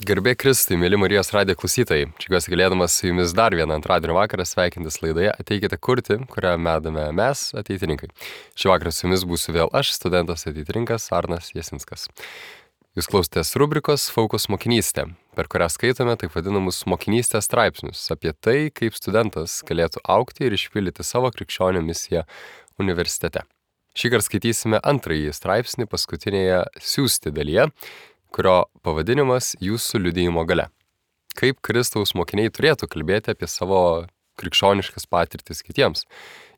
Garbė Kristui, mėly Marijos radijo klausytojai. Džiaugiuosi galėdamas su jumis dar vieną antradienio vakarą sveikintis laidoje Ateikite kurti, kurią medame mes, ateitininkai. Šį vakarą su jumis būsiu vėl aš, studentas ateitininkas Arnas Jasinskas. Jūs klausotės rubrikos Focus mokinystė, per kurią skaitome taip vadinamus mokinystės straipsnius apie tai, kaip studentas galėtų augti ir išpildyti savo krikščionio misiją universitete. Šįkart skaitysime antrąjį straipsnį paskutinėje siųsti dalyje, kurio pavadinimas Jūsų liudijimo galia. Kaip Kristaus mokiniai turėtų kalbėti apie savo krikščioniškas patirtis kitiems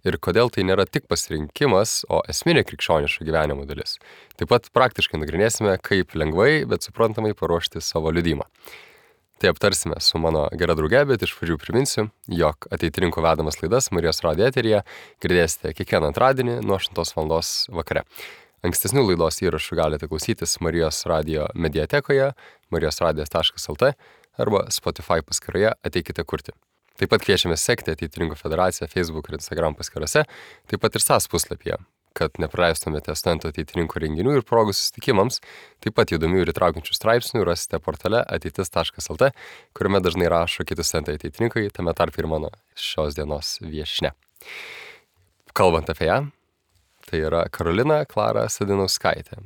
ir kodėl tai nėra tik pasirinkimas, o esminė krikščioniško gyvenimo dalis. Taip pat praktiškai nagrinėsime, kaip lengvai, bet suprantamai paruošti savo liudijimą. Tai aptarsime su mano gera drauge, bet iš pradžių priminsiu, jog ateitininkų vedamas laidas Marijos radijo eteryje girdėsite kiekvieną antradienį nuo 8 val. Vakare. Ankstesnių laidos įrašų galite klausytis Marijos radijo mediatekoje, marijosradijas.lt arba Spotify paskyroje Ateikite kurti. Taip pat kviečiame sekti Ateitininkų federaciją Facebook ir Instagram paskyrose, taip pat ir SAS puslapyje, kad nepraleistumėte studentų ateitininkų renginių ir progų susitikimams. Taip pat įdomių ir įtraukiančių straipsnių rasite portale ateitis.lt, kuriame dažnai rašo kiti studentai ateitininkai, tame tarp ir mano šios dienos viešnia. Kalbant apie ją, tai yra Karolina Klara Sadinauskaitė,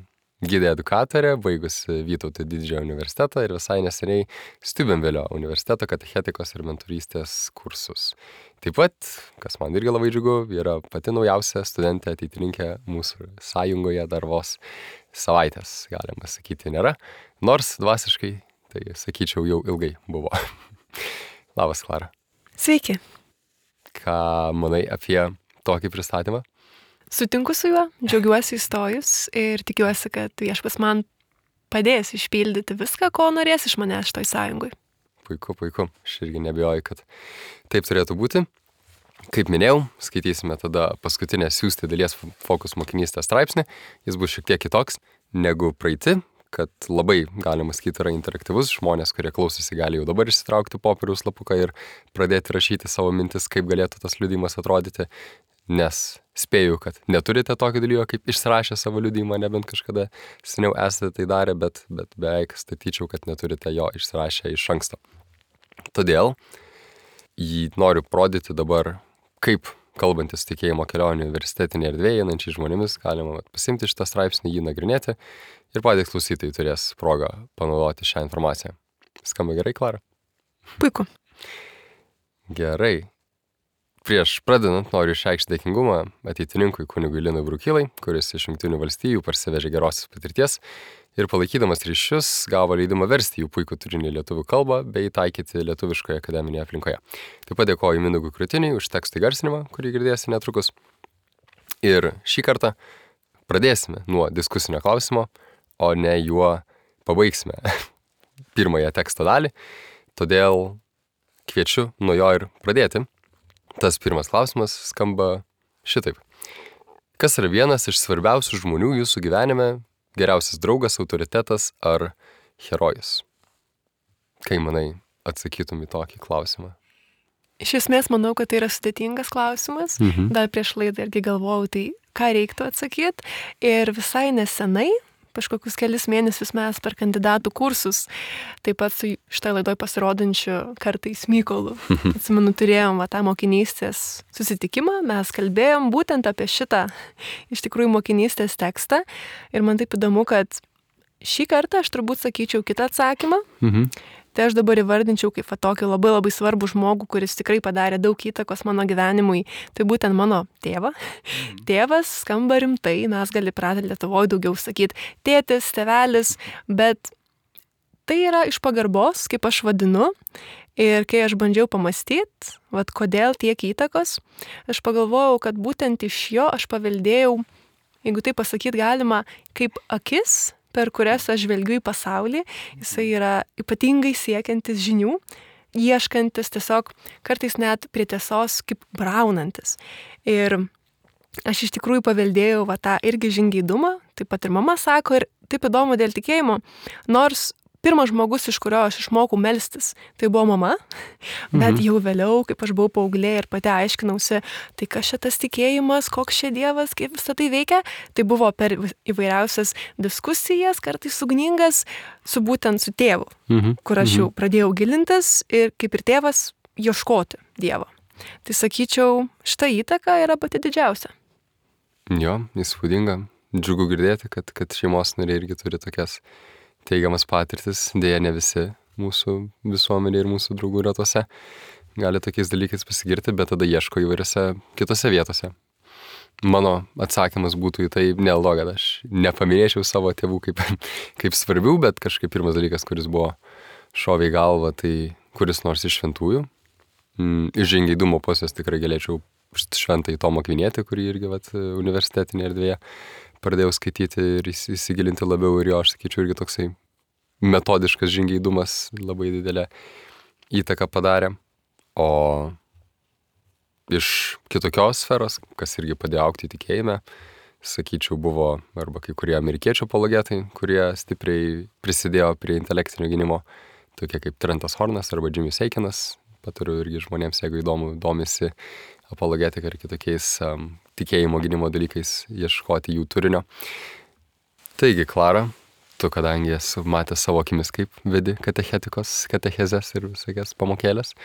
gidė edukatorė, baigusi Vytauto didžiojo universitetą ir visai neseniai Stiubenvelio universiteto katechetikos ir mentorystės kursus. Taip pat, kas man irgi labai džiugu, yra pati naujausia studentė ateitininkė mūsų sąjungoje dar vos savaitės, galima sakyti, nėra, nors dvasiškai, tai sakyčiau, jau ilgai buvo. Labas, Klara. Sveiki. Ką manai apie tokį pristatymą? Sutinku su juo, džiaugiuosi įstojus ir tikiuosi, kad viešpats man padės išpildyti viską, ko norės iš manęs šitoj sąjungoj. Puiku. Aš irgi nebijoju, kad taip turėtų būti. Kaip minėjau, skaitysime tada paskutinę siųsti dalies Focus mokinystės straipsnį. Jis bus šiek tiek kitoks negu praeiti, kad labai, galima sakyti, yra interaktyvus. Žmonės, kurie klausosi, gali jau dabar išsitraukti popieriaus lapuką ir pradėti rašyti savo mintis, kaip galėtų tas liudijimas atrodyti. Nes spėju, kad neturite tokio dalyko, kaip išsirašę savo liudijimą, nebent kažkada seniau esate tai darę, bet beveik statyčiau, kad neturite jo išsirašę iš anksto. Todėl jį noriu parodyti dabar, kaip kalbantis tikėjimo kelionį universitetinėje erdvėje einančiai žmonėmis, galima pasimti šitą straipsnį, jį nagrinėti ir patys klausytojai turės progą panaudoti šią informaciją. Skamba gerai, Klara? Puiku. Gerai. Prieš pradedant noriu išreikšti dėkingumą ateitininkui kunigui Linui Brukylai, kuris iš Jungtinių valstijų parsivežė gerosios patirties ir palaikydamas ryšius gavo leidimą versti jų puikų turinį lietuvių kalbą bei taikyti lietuviškoje akademinėje aplinkoje. Taip pat dėkoju Mindaugui Krutiniui už teksto įgarsinimą, kurį girdėsi netrukus. Ir šį kartą pradėsime nuo diskusinio klausimo, o ne juo pabaigsime pirmąją teksto dalį, todėl kviečiu nuo jo ir pradėti. Tas pirmas klausimas skamba šitaip. Kas yra vienas iš svarbiausių žmonių jūsų gyvenime, geriausias draugas, autoritetas ar herojus? Kai manai atsakytum į tokį klausimą? Iš esmės, manau, kad tai yra sudėtingas klausimas. Dar prieš laidą irgi galvojau, tai ką reiktų atsakyti. Ir visai nesenai, kažkokius kelis mėnesius mes per kandidatų kursus, taip pat su šitoj laidoj pasirodančiu kartais Mykolu. Atsimenu, turėjom tą mokinystės susitikimą, mes kalbėjom būtent apie šitą iš tikrųjų mokinystės tekstą ir man taip įdomu, kad šį kartą aš turbūt sakyčiau kitą atsakymą. Tai aš dabar įvardinčiau kaip tokį labai labai svarbų žmogų, kuris tikrai padarė daug įtakos mano gyvenimui. Tai būtent mano tėvą. Tėvas skamba rimtai, mes gali pratę Lietuvoje daugiau sakyti tėtis, tėvelis, bet tai yra iš pagarbos, kaip aš vadinu. Ir kai aš bandžiau pamastyti, kodėl tiek įtakos, aš pagalvojau, kad būtent iš jo aš paveldėjau, jeigu tai pasakyti galima, kaip akis, per kurias aš žvelgiu į pasaulį. Jisai yra ypatingai siekiantis žinių, ieškantis tiesiog kartais net prie tiesos kaip braunantis. Ir aš iš tikrųjų paveldėjau tą irgi žingeidumą, taip pat ir mama sako, ir taip įdomu dėl tikėjimo, nors pirmas žmogus, iš kurio aš išmokau melstis, tai buvo mama, bet jau vėliau, kaip aš buvau paauglė ir pati aiškinausi, tai kas šitas tikėjimas, koks čia Dievas, kaip visą tai veikia, tai buvo per įvairiausias diskusijas, kartais ugningas, būtent su tėvu, kur aš jau pradėjau gilintis ir kaip ir tėvas ieškoti Dievo. Tai sakyčiau, šita įtaka yra pati didžiausia. Jo, įspūdinga. Džiugu girdėti, kad šeimos nariai irgi turi tokias teigiamas patirtis. Deja, ne visi mūsų visuomenė ir mūsų draugų ratose gali tokiais dalykais pasigirti, bet tada ieško įvairiose kitose vietose. Mano atsakymas būtų į tai, neldo, kad aš nepaminėčiau savo tėvų kaip svarbių, bet kažkaip pirmas dalykas, kuris buvo šovė į galvą, tai kuris nors iš šventųjų. Iš žingeidumo pusės tikrai galėčiau šventąjį Tomą Akvinietį, kurį irgi universitetinėje erdvėje pradėjau skaityti ir įsigilinti labiau ir jo, aš sakyčiau, irgi toksai metodiškas žingeidumas labai didelę įtaką padarė. O iš kitokios sferos, kas irgi padėjo augti tikėjime, sakyčiau, buvo arba kai kurie amerikiečių apologetai, kurie stipriai prisidėjo prie intelektinio gynimo, tokie kaip Trentas Hornas arba Jimmy's Aikinas. Patariu irgi žmonėms, jeigu domisi apologetika ir kitokiais tikėjimo gynimo dalykais, ieškoti jų turinio. Taigi, Klara, tu kadangi esi matęs savo akimis, kaip vedi katechezes ir visokias pamokėlės,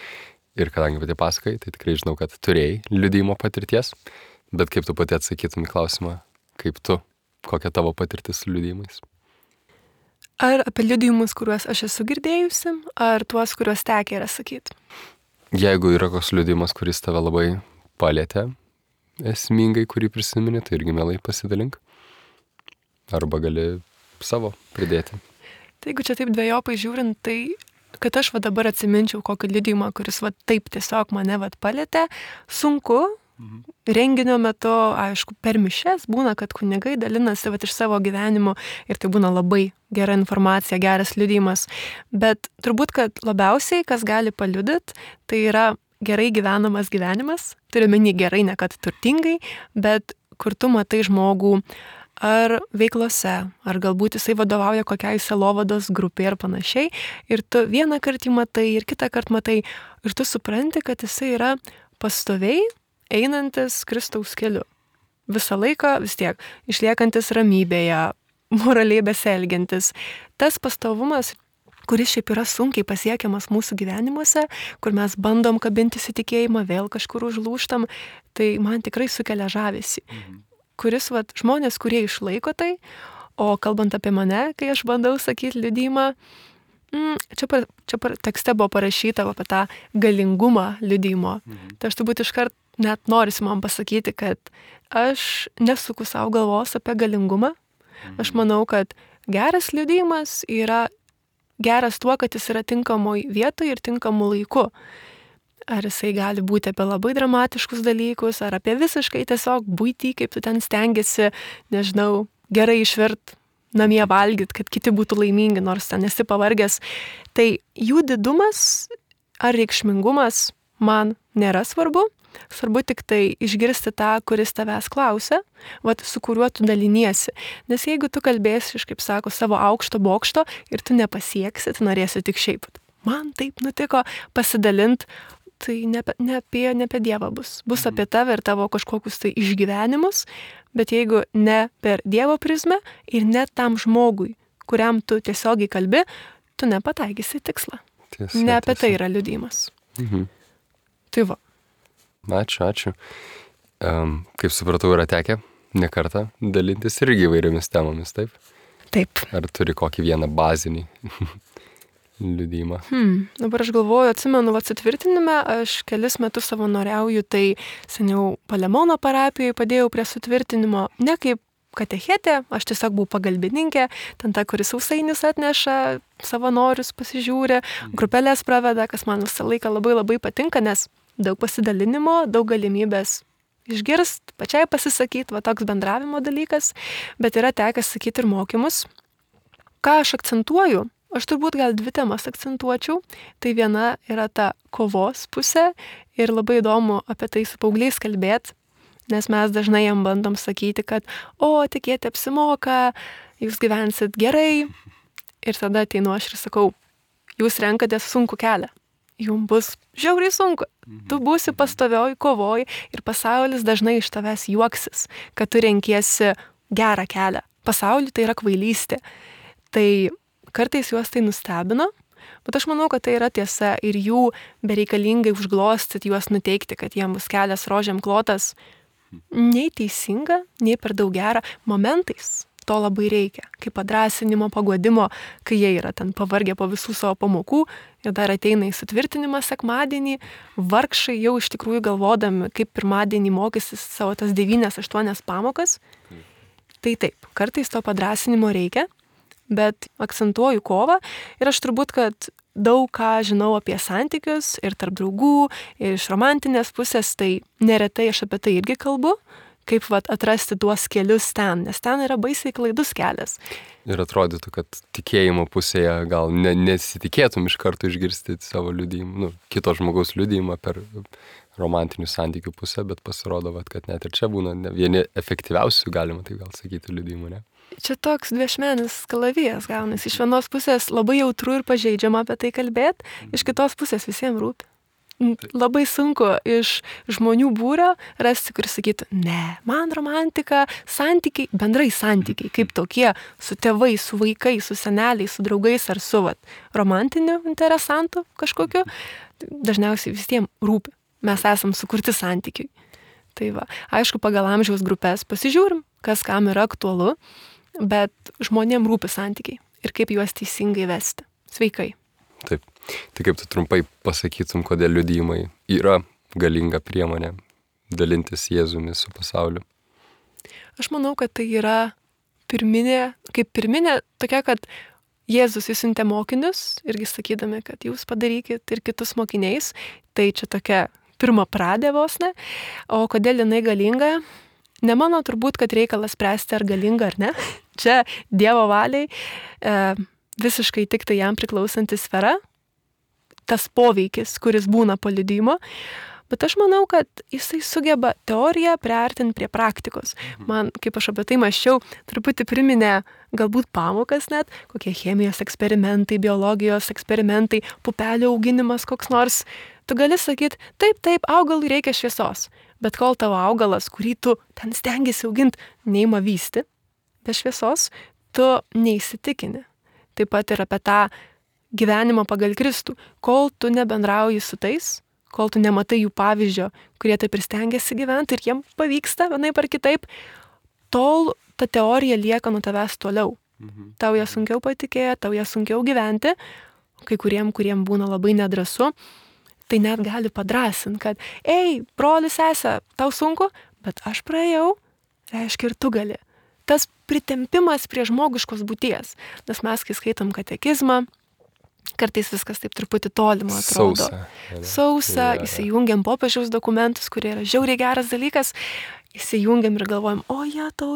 ir kadangi pati pasakai, tai tikrai žinau, kad turėjai liudijimo patirties, bet kaip tu pati atsakytum į klausimą, kokia tavo patirtis su liudijimais? Ar apie liudijimus, kuriuos aš esu girdėjusi, ar tuos, kuriuos tekę yra sakyti? Jeigu yra koks liudijimas, kuris tave labai palėtė esmingai, kurį prisimeni, tai irgi mielai pasidalink. Arba gali savo pridėti. Tai jeigu čia taip dvejopai žiūrint, tai kad aš dabar atsiminčiau kokį liudijimą, kuris taip tiesiog mane palėtė, sunku. Renginio metu, aišku, per mišes būna, kad kunigai dalinasi iš savo gyvenimo ir tai būna labai gera informacija, geras liudijimas. Bet turbūt, kad labiausiai, kas gali paliudyti, tai yra gerai gyvenamas gyvenimas. Turiu meni gerai, ne kad turtingai, bet kur tu matai žmogų ar veiklose, ar galbūt jisai vadovauja kokiai sielovados grupiai ir panašiai. Ir tu vieną kartą jį matai ir kitą kartą matai ir tu supranti, kad jisai yra pastoviai einantis Kristaus keliu. Visą laiką vis tiek išliekantis ramybėje, moraliai besielgiantis. Tas pastovumas, kuris šiaip yra sunkiai pasiekiamas mūsų gyvenimuose, kur mes bandom kabintis į tikėjimą, vėl kažkur užlūžtam, tai man tikrai sukelia žavesį. Kuris, žmonės, kurie išlaiko tai, o kalbant apie mane, kai aš bandau sakyti liudijimą, čia tekste buvo parašyta apie tą galingumą liudijimo. Tai aš turbūt iškart net norisi man pasakyti, kad aš nesuku savo galvos apie galingumą. Aš manau, kad geras liudijimas yra geras tuo, kad jis yra tinkamoj vietoje ir tinkamu laiku. Ar jisai gali būti apie labai dramatiškus dalykus, ar apie visiškai tiesiog buitį, kaip tu ten stengiasi, nežinau, gerai išvirt namie valgyt, kad kiti būtų laimingi, nors ten esi pavargęs. Tai jų didumas ar reikšmingumas man nėra svarbu. Svarbu tik tai išgirsti tą, kuris tavęs klausia, su kuriuo tu daliniesi. Nes jeigu tu kalbėsi iš, kaip sako, savo aukšto bokšto ir tu nepasieksi, tu norėsi tik šiaip. Man taip nutiko pasidalint, tai ne apie Dievą bus. Bus apie tave ir tavo kažkokius tai išgyvenimus, bet jeigu ne per Dievo prizmę ir ne tam žmogui, kuriam tu tiesiogiai kalbi, tu nepataikysi tikslą. Ne apie tai yra liudijimas. Tai va. Ačiū. Kaip supratau, yra tekę ne kartą dalintis irgi įvairiomis temomis, taip? Taip. Ar turi kokį vieną bazinį liudijimą? Dabar aš galvoju, atsimenu, sutvirtinime, aš kelis metus savanoriauju, tai seniau Palemono parapijoje padėjau prie sutvirtinimo, ne kaip katechetė, aš tiesiog buvau pagalbininkė, ten ta, kuris sausainius atneša, savanorius pasižiūri, grupelės praveda, kas man visą laiką labai labai patinka, nes daug pasidalinimo, daug galimybės išgirst, pačiai pasisakyti, toks bendravimo dalykas, bet yra tekę sakyti ir mokymus. Ką aš akcentuoju? Aš turbūt gal 2 temas akcentuočiau. Tai viena yra ta kovos pusė ir labai įdomu apie tai su paaugliais kalbėti, nes mes dažnai jam bandom sakyti, kad tikėti apsimoka, jūs gyvensit gerai. Ir tada ateinu aš ir sakau, jūs renkatės sunkų kelią. Jums bus žiauriai sunku. Tu būsi pastovioj kovoj ir pasaulis dažnai iš tavęs juoksis, kad tu renkiesi gerą kelią. Pasauliui tai yra kvailystė. Tai kartais juos tai nustebino, bet aš manau, kad tai yra tiesa ir jų bereikalingai užglostyti, juos nuteikti, kad jiems bus kelias rožėm klotas, nei teisinga, nei per daug gera. Momentais to labai reikia, kaip padrąsinimo, paguodimo, kai jie yra ten pavargę po visų savo pamokų, jie dar ateina į sutvirtinimą sekmadienį, vargšai jau iš tikrųjų galvodami, kaip pirmadienį mokysis savo tas 9-8 pamokas. Tai taip, kartais to padrąsinimo reikia, bet akcentuoju kovą ir aš turbūt, kad daug ką žinau apie santykius ir tarp draugų, ir iš romantinės pusės, tai neretai aš apie tai irgi kalbu, kaip atrasti tuos kelius ten, nes ten yra baisiai klaidus kelias. Ir atrodytų, kad tikėjimo pusėje gal nesitikėtum iš karto išgirsti savo liudijimą, kito žmogaus liudijimą per romantinių santykių pusę, bet pasirodo, kad net ir čia būna vieni efektyviausių, galima tai gal sakyti, liudijimų, ne? Čia toks dviešmenis kalavijas gaunasi. Iš vienos pusės labai jautru ir pažeidžiama apie tai kalbėti, iš kitos pusės visiems rūpi. Labai sunku iš žmonių būrio rasti, kuris sakytų, ne, man romantika, santykiai, bendrai santykiai, kaip tokie, su tėvais, su vaikais, su seneliais, su draugais ar su romantiniu interesantu kažkokiu, dažniausiai visiems rūpi. Mes esam sukurti santykiai. Tai va, aišku, pagal amžiaus grupės pasižiūrim, kas kam yra aktualu, bet žmonėms rūpi santykiai ir kaip juos teisingai vesti. Sveikai. Taip. Tai kaip tu trumpai pasakytum, kodėl liudijimai yra galinga priemonė dalintis Jėzumi su pasauliu? Aš manau, kad tai yra pirminė tokia, kad Jėzus įsiuntė mokinius, irgi sakydami, kad jūs padarykit ir kitus mokiniais. Tai čia tokia pirma pradė vos ne. O kodėl jinai galinga? Ne mano turbūt, kad reikalas spręsti, ar galinga ar ne. Čia Dievo valiai visiškai tik tai jam priklausanti sfera, tas poveikis, kuris būna po liudijimo, bet aš manau, kad jisai sugeba teoriją priartinti prie praktikos. Man, kaip aš apie tai mąsčiau, truputį priminė galbūt pamokas net, kokie chemijos eksperimentai, biologijos eksperimentai, pupelių auginimas koks nors. Tu gali sakyti, taip, augalui reikia šviesos, bet kol tavo augalas, kurį tu ten stengiasi auginti, neima vysti be šviesos, tu neįsitikini. Taip pat ir apie tą gyvenimą pagal Kristų. Kol tu nebendrauji su tais, kol tu nematai jų pavyzdžio, kurie taip ir stengiasi gyventi ir jiems pavyksta vienaip ar kitaip, tol ta teorija lieka nuo tavęs toliau. Tau ją sunkiau patikėti, tau ją sunkiau gyventi, kai kuriem būna labai nedrąsu, tai net gali padrasinti, kad broli, sesė, tau sunku, bet aš praėjau, reiškia ir tu gali. Tas pritempimas prie žmogiškos būties, nes mes, kai skaitom katekizmą, kartais viskas taip truputį tolimo atrodo. Sausa, įsijungiam popiežiaus dokumentus, kurie yra žiauriai geras dalykas, įsijungiam ir galvojam,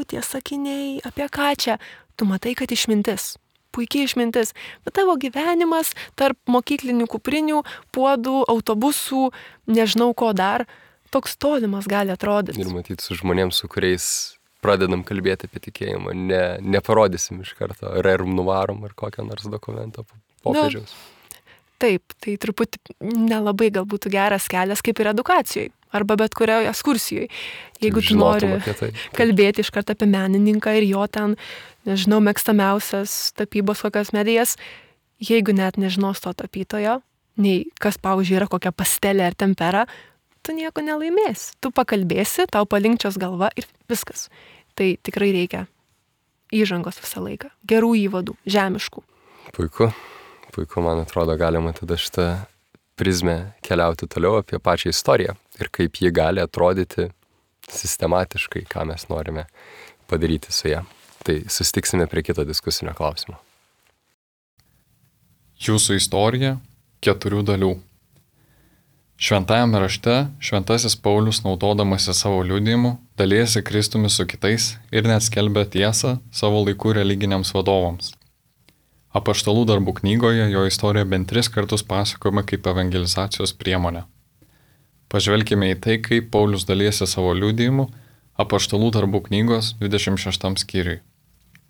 tie sakiniai, apie ką čia? Tu matai, kad išmintis, puikiai išmintis, bet tavo gyvenimas tarp mokyklinių kuprinių, puodų, autobusų, nežinau ko dar, toks tolimas gali atrodyti. Ir matyti su žmonėms, su kuriais pradedam kalbėti apie tikėjimą, neparodysim iš karto, rerum nuvarom ar kokią nors dokumentą popiežiaus. Taip, tai truputį nelabai galbūt geras kelias kaip ir edukacijoje, arba bet kurioje ekskursijoje. Jeigu tu nori kalbėti iš karto apie menininką ir jo ten, nežinau, mėgstamiausias tapybos kokias medijas, jeigu net nežinos to tapytojo, nei kas, pavyzdžiui, yra kokia pastelė ar tempera, tu nieko nelaimėsi. Tu pakalbėsi, tau palinkčios galva ir viskas. Tai tikrai reikia įžangos visą laiką. Gerų įvadų, žemiškų. Puiku, man atrodo, galima tada šitą prizmę keliauti toliau apie pačią istoriją ir kaip ji gali atrodyti sistematiškai, ką mes norime padaryti su ją. Tai susitiksime prie kito diskusinio klausimo. Jūsų istorija 4 dalių. Šventajame rašte šventasis Paulius, naudodamasi savo liudijimu, dalijasi Kristumi su kitais ir net skelbia tiesą savo laikų religiniams vadovams. Apaštalų darbų knygoje jo istorija bent 3 kartus pasakojama kaip evangelizacijos priemonė. Pažvelkime į tai, kaip Paulius dalijasi savo liudijimu Apaštalų darbų knygos 26 skyriui,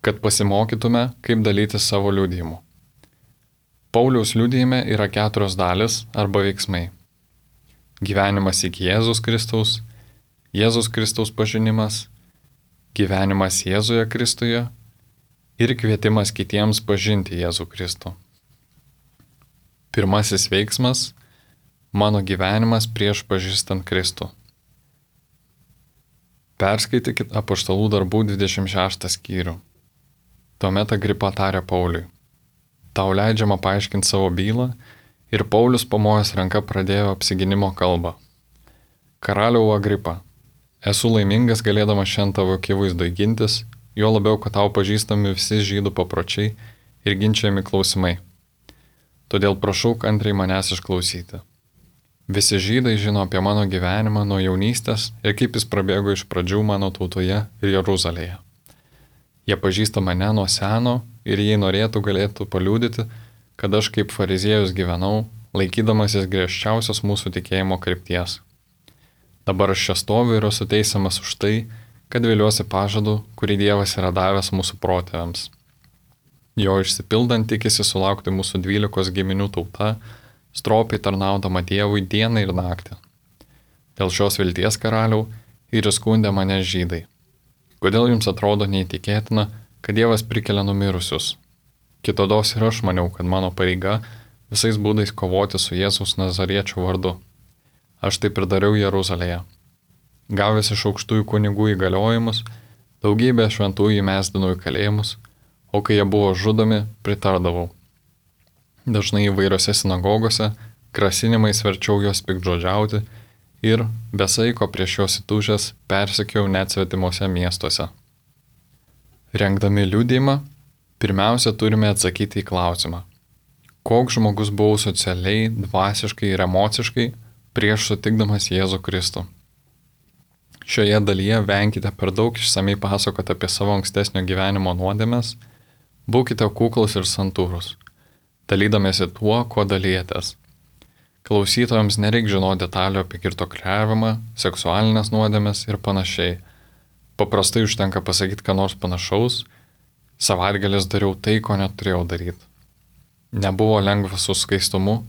kad pasimokytume, kaip dalyti savo liudijimu. Pauliaus liudijime yra 4 dalis arba veiksmai. Gyvenimas iki Jėzus Kristaus pažinimas, gyvenimas Jėzuje Kristuje ir kvietimas kitiems pažinti Jėzų Kristų. Pirmasis veiksmas – mano gyvenimas prieš pažįstant Kristų. Perskaitykit Apaštalų darbų 26 skyrių. Tuomet Agripa tarė Pauliui: tau leidžiama paaiškinti savo bylą, ir Paulius pamojęs ranka pradėjo apsigynimo kalbą. Karaliau Agripa, esu laimingas galėdamas šiandien tavo akivaizdoj gintis, juo labiau, kad tau pažįstami visi žydų papročiai ir ginčiami klausimai. Todėl prašau kantriai manęs išklausyti. Visi žydai žino apie mano gyvenimą nuo jaunystės ir kaip jis prabėgo iš pradžių mano tautoje ir Jeruzalėje. Jie pažįsta mane nuo seno ir jei norėtų, galėtų paliudyti, kad aš kaip fariziejus gyvenau, laikydamasis griežčiausios mūsų tikėjimo krypties. Dabar aš čia stoviu ir esu teisiamas už tai, kad viliuosi pažadu, kurį Dievas yra davęs mūsų protėviams. Jo išsipildant tikisi sulaukti mūsų 12 giminių tauta, stropiai tarnaudama Dievui dieną ir naktį. Dėl šios vilties, karaliau, ir įskundė mane žydai. Kodėl jums atrodo neįtikėtina, kad Dievas prikelia numirusius? Kitados ir aš maniau, kad mano pareiga visais būdais kovoti su Jėzaus Nazariečio vardu. Aš taip ir dariau Jeruzalėje. Gavęs iš aukštųjų kunigų įgaliojimus, daugybę šventųjų įmesdinau į kalėjimus, o kai jie buvo žudomi, pritardavau. Dažnai įvairiose sinagogose grasinimais verčiau juos piktžodžiauti ir besaiko prieš juos įtūžęs persekiau net svetimuose miestuose. Rengdami liudijimą, pirmiausia turime atsakyti į klausimą: koks žmogus buvau socialiai, dvasiškai ir emociškai prieš sutikdamas Jėzų Kristų. Šioje dalyje venkite per daug išsamei pasakoti apie savo ankstesnio gyvenimo nuodėmes, būkite kuklus ir santūrus, dalydamėsi tuo, kuo dalyjatės. Klausytojams nereik žinoti detalių apie girtuokliavimą, seksualinės nuodėmes ir panašiai. Paprastai užtenka pasakyti, ką nors panašaus: savaitgalis dariau tai, ko neturėjau daryti. Nebuvo lengva su skaistumu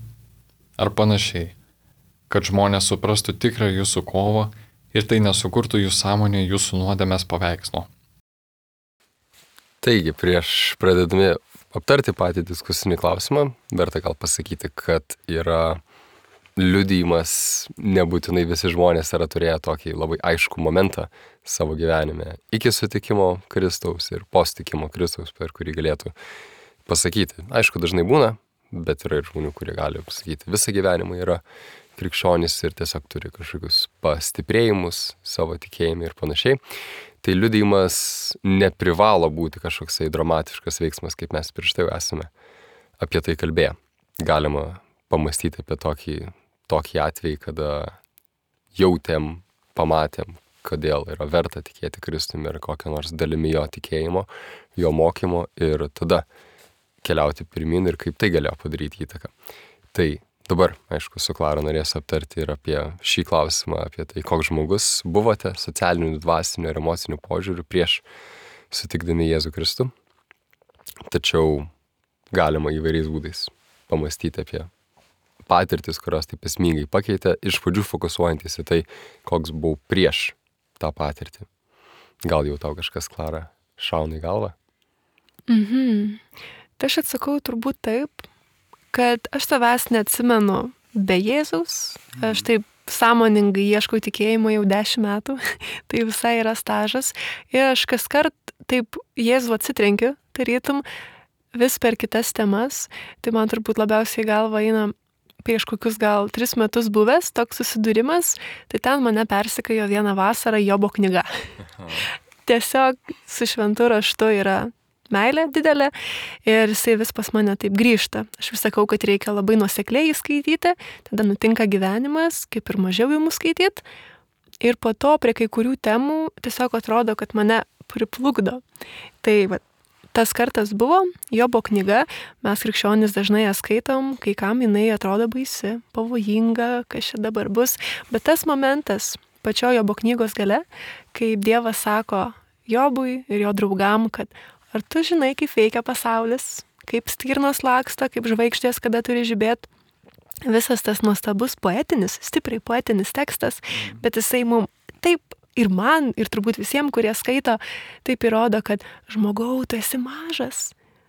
ar panašiai, kad žmonės suprastų tikrą jūsų kovą ir tai nesukurtų jų sąmonė jūsų nuodėmės paveikslo. Taigi, prieš pradedami aptarti patį diskusinį klausimą, verta gal pasakyti, kad yra liudijimas, nebūtinai visi žmonės yra turėję tokį labai aiškų momentą savo gyvenime iki sutikimo Kristaus ir po sutikimo Kristaus, per kurį galėtų pasakyti. Aišku, dažnai būna, bet yra ir žmonių, kurie gali pasakyti visą gyvenimą yra krikščionys ir tiesiog turi kažkokius pastiprėjimus savo tikėjime ir panašiai. Tai liudijimas neprivalo būti kažkoksai dramatiškas veiksmas, kaip mes prieš tai esame apie tai kalbėję. Galima pamastyti apie tokį atvejį, kada jautėm, pamatėm, kodėl yra verta tikėti Kristumi ir kokią nors dalimi jo tikėjimo, jo mokymo ir tada keliauti pirmin ir kaip tai galėjo padaryti įtaką. Tai dabar, aišku, su Klara norės aptarti ir apie šį klausimą, apie tai, koks žmogus buvote socialiniu, dvasiniu ir emociniu požiūriu prieš sutikdami Jėzų Kristų. Tačiau galima įvairiais būdais pamastyti apie patirtis, kurios taip esmingai pakeitė, iš pradžių fokusuojantis į tai, koks buvau prieš tą patirtį. Gal jau tau kažkas, Klara, šauna į galvą? Tai aš atsakau turbūt taip, kad aš savęs neatsimenu be Jėzaus. Aš taip sąmoningai ieškau tikėjimo jau 10 metų, tai visai yra stažas. Ir aš kaskart taip Jėzų atsitrenkiu, tarytum vis per kitas temas. Tai man turbūt labiausiai galva eina prieš kokius gal 3 metus buvęs toks susidūrimas, tai ten mane persekiojo vieną vasarą Jobo knyga. Tiesiog su šventu raštu yra meilė didelė ir jisai vis pas mane taip grįžta. Aš vis sakau, kad reikia labai nuosekliai skaityti, tada nutinka gyvenimas, kaip ir mažiau jų skaityti. Ir po to prie kai kurių temų tiesiog atrodo, kad mane priplukdo. Tai va, tas kartas buvo Jobo knyga, mes krikščionys dažnai ją skaitom, kai kam jinai atrodo baisi, pavojinga, kas čia dabar bus. Bet tas momentas pačio Jobo knygos gale, kaip Dievas sako Jobui ir jo draugam, kad ar tu žinai, kaip veikia pasaulis, kaip stirnos laksto, kaip žvaigždės, kada turi žibėti. Visas tas nuostabus poetinis, stipriai poetinis tekstas, bet jisai mums taip ir man, ir turbūt visiems, kurie skaito, taip įrodo, kad žmogau, tu esi mažas.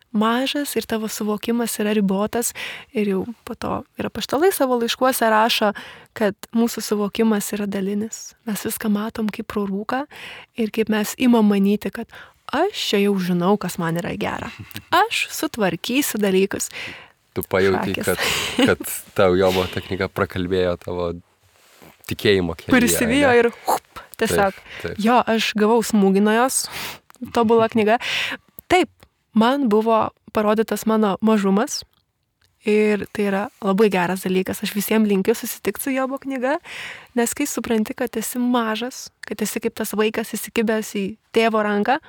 Mažas ir tavo suvokimas yra ribotas. Ir jau po to ir apaštalai savo laiškuose rašo, kad mūsų suvokimas yra dalinis. Mes viską matom kaip pro rūką ir kaip mes imam manyti, kad aš čia jau žinau, kas man yra gera. Aš sutvarkysiu dalykus. Tu pajauti, kad tau Jobo ta knyga prakalbėjo tavo tikėjimo kelyje. Prisivijo ir tiesiog. Taip. Jo, aš gavau smūgį nuo jos, tobula knyga. Taip, man buvo parodytas mano mažumas ir tai yra labai geras dalykas. Aš visiems linkiu susitikti su Jobo knyga, nes kai supranti, kad esi mažas, kad esi kaip tas vaikas įsikibęs į tėvo ranką,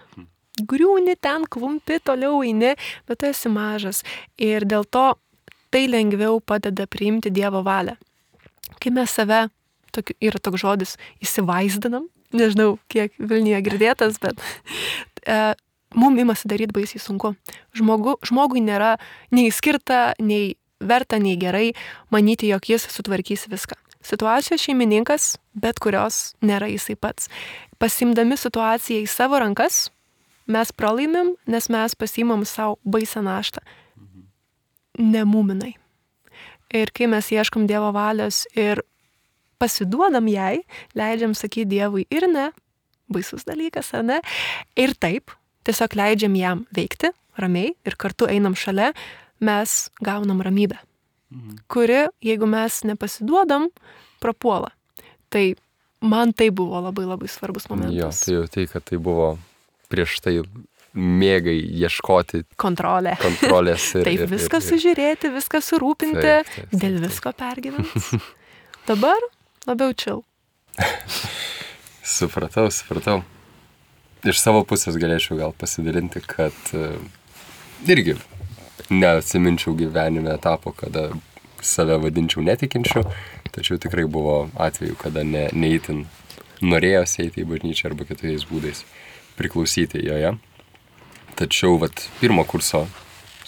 griūni ten, klumpi, toliau eini, bet tu esi mažas. Ir dėl to tai lengviau padeda priimti Dievo valią. Kai mes save, yra toks žodis, įsivaizdinam, nežinau, kiek Vilniuje girdėtas, bet mums imasi daryti baisiai sunku. Žmogui nėra nei skirta, nei verta, nei gerai manyti, jog jis sutvarkys viską. Situacijos šeimininkas, bet kurios nėra jisai pats. Pasimdami situaciją į savo rankas, mes pralaimim, nes mes pasimam savo baisą naštą. Nemuminai. Ir kai mes ieškom Dievo valios ir pasiduodam jai, leidžiam sakyti Dievui ir ne, baisus dalykas, ar ne? Ir taip, tiesiog leidžiam jam veikti ramiai ir kartu einam šalia, mes gaunam ramybę, kuri, jeigu mes nepasiduodam, prapuola. Tai man tai buvo labai labai svarbus momentas. Jo, tai jau tai, kad tai buvo prieš tai mėgai ieškoti kontrolės ir taip, viską sužiūrėti, viską surūpinti, dėl visko pergyventi. Dabar labiau chill. Supratau. Iš savo pusės galėčiau gal pasidalinti, kad irgi neatsiminčiau gyvenime etapo, kada save vadinčiau netikinčiu, tačiau tikrai buvo atveju, kada neįtin norėjosi eiti į bažnyčią arba kitais būdais priklausyti joje. Tačiau pirmo kurso,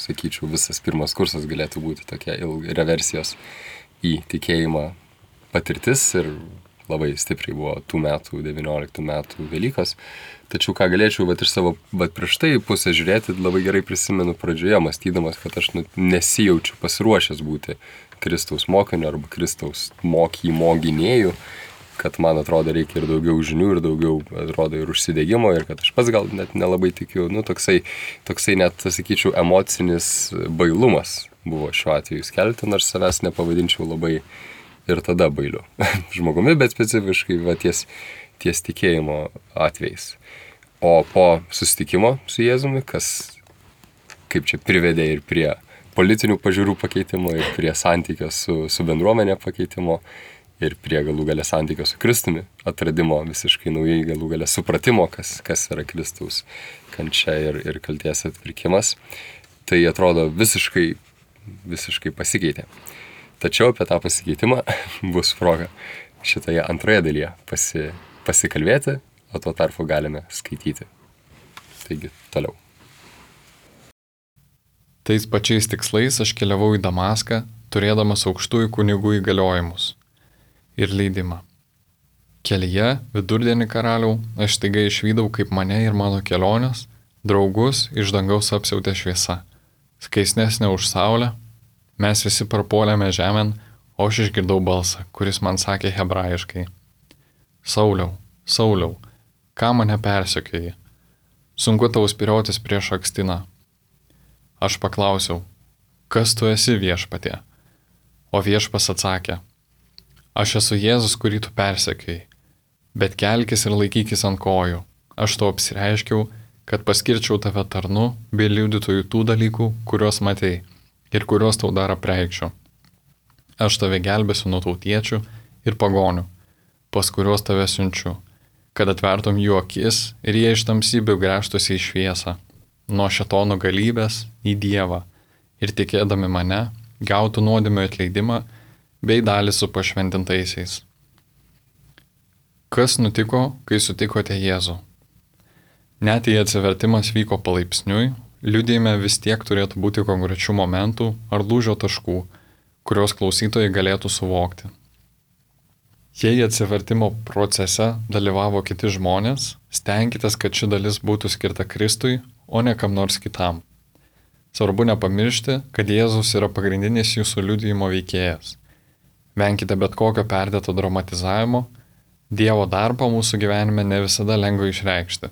sakyčiau, visas pirmas kursas galėtų būti tokia reversijos į tikėjimą patirtis ir labai stipriai buvo tų metų, 19 metų Velykos. Tačiau ką galėčiau iš savo prieš tai pusę žiūrėti, labai gerai prisimenu pradžioje, mąstydamas, kad aš nesijaučiu pasiruošęs būti Kristaus mokiniu arba Kristaus mokymo gynėju, kad man atrodo reikia ir daugiau žinių, ir daugiau atrodo ir užsidegimo, ir kad aš pats gal net nelabai tikiu. Toksai net, sakyčiau, emocinis bailumas buvo šiuo atveju skelbti, nors savęs nepavadinčiau labai ir tada bailiu žmogumi, bet specifiškai ties tikėjimo atvejais. O po susitikimo su Jėzumi, kas kaip čia privedė ir prie politinių pažiūrų pakeitimo, ir prie santykio su bendruomenė pakeitimo, ir prie galų galę santykio su Kristumi, atradimo visiškai naujai galų galę supratimo, kas yra Kristaus kančia ir kalties atpirkimas, tai atrodo visiškai pasikeitė. Tačiau apie tą pasikeitimą bus proga šitoje antroje dalyje pasikalbėti, o tuo tarpu galime skaityti. Taigi, toliau. Tais pačiais tikslais aš keliavau į Damaską, turėdamas aukštųjų kunigų įgaliojimus ir leidimą. Kelyje, vidurdienį karaliau, aš staiga išvydau, kaip mane ir mano kelionės, draugus iš dangaus apsiautė šviesa, skaisnesnė už saulę. Mes visi parpuolėme žemėn, o aš išgirdau balsą, kuris man sakė hebrajiškai: Sauliau, Sauliau, ką mane persekioji? Sunku tau spyriotis prieš akstiną. Aš paklausiau: kas tu esi, Viešpatie? O Viešpas atsakė: aš esu Jėzus, kurį tu persekioji, bet kelkis ir laikykis ant kojų. Aš tau apsireiškiau, kad paskirčiau tave tarnu bei liudytojų tų dalykų, kuriuos matei ir kuriuos tau dar apreikščiau. Aš tave gelbėsiu nuo tautiečių ir pagonių, pas kuriuos tave siunčiu, kad atvertum jų akis ir jie iš tamsybių gręžtųsi į šviesą, nuo šėtono galybės į Dievą, ir tikėdami mane gautų nuodėmių atleidimą bei dalį su pašventintaisiais. Kas nutiko, kai sutikote Jėzų? Net jei atsivertimas vyko palaipsniui, liudijime vis tiek turėtų būti konkrečių momentų ar lūžio taškų, kuriuos klausytojai galėtų suvokti. Jei atsivertimo procese dalyvavo kiti žmonės, stenkitės, kad ši dalis būtų skirta Kristui, o ne kam nors kitam. Svarbu nepamiršti, kad Jėzus yra pagrindinis jūsų liudijimo veikėjas. Venkite bet kokio perdėto dramatizavimo, Dievo darbą mūsų gyvenime ne visada lengva išreikšti.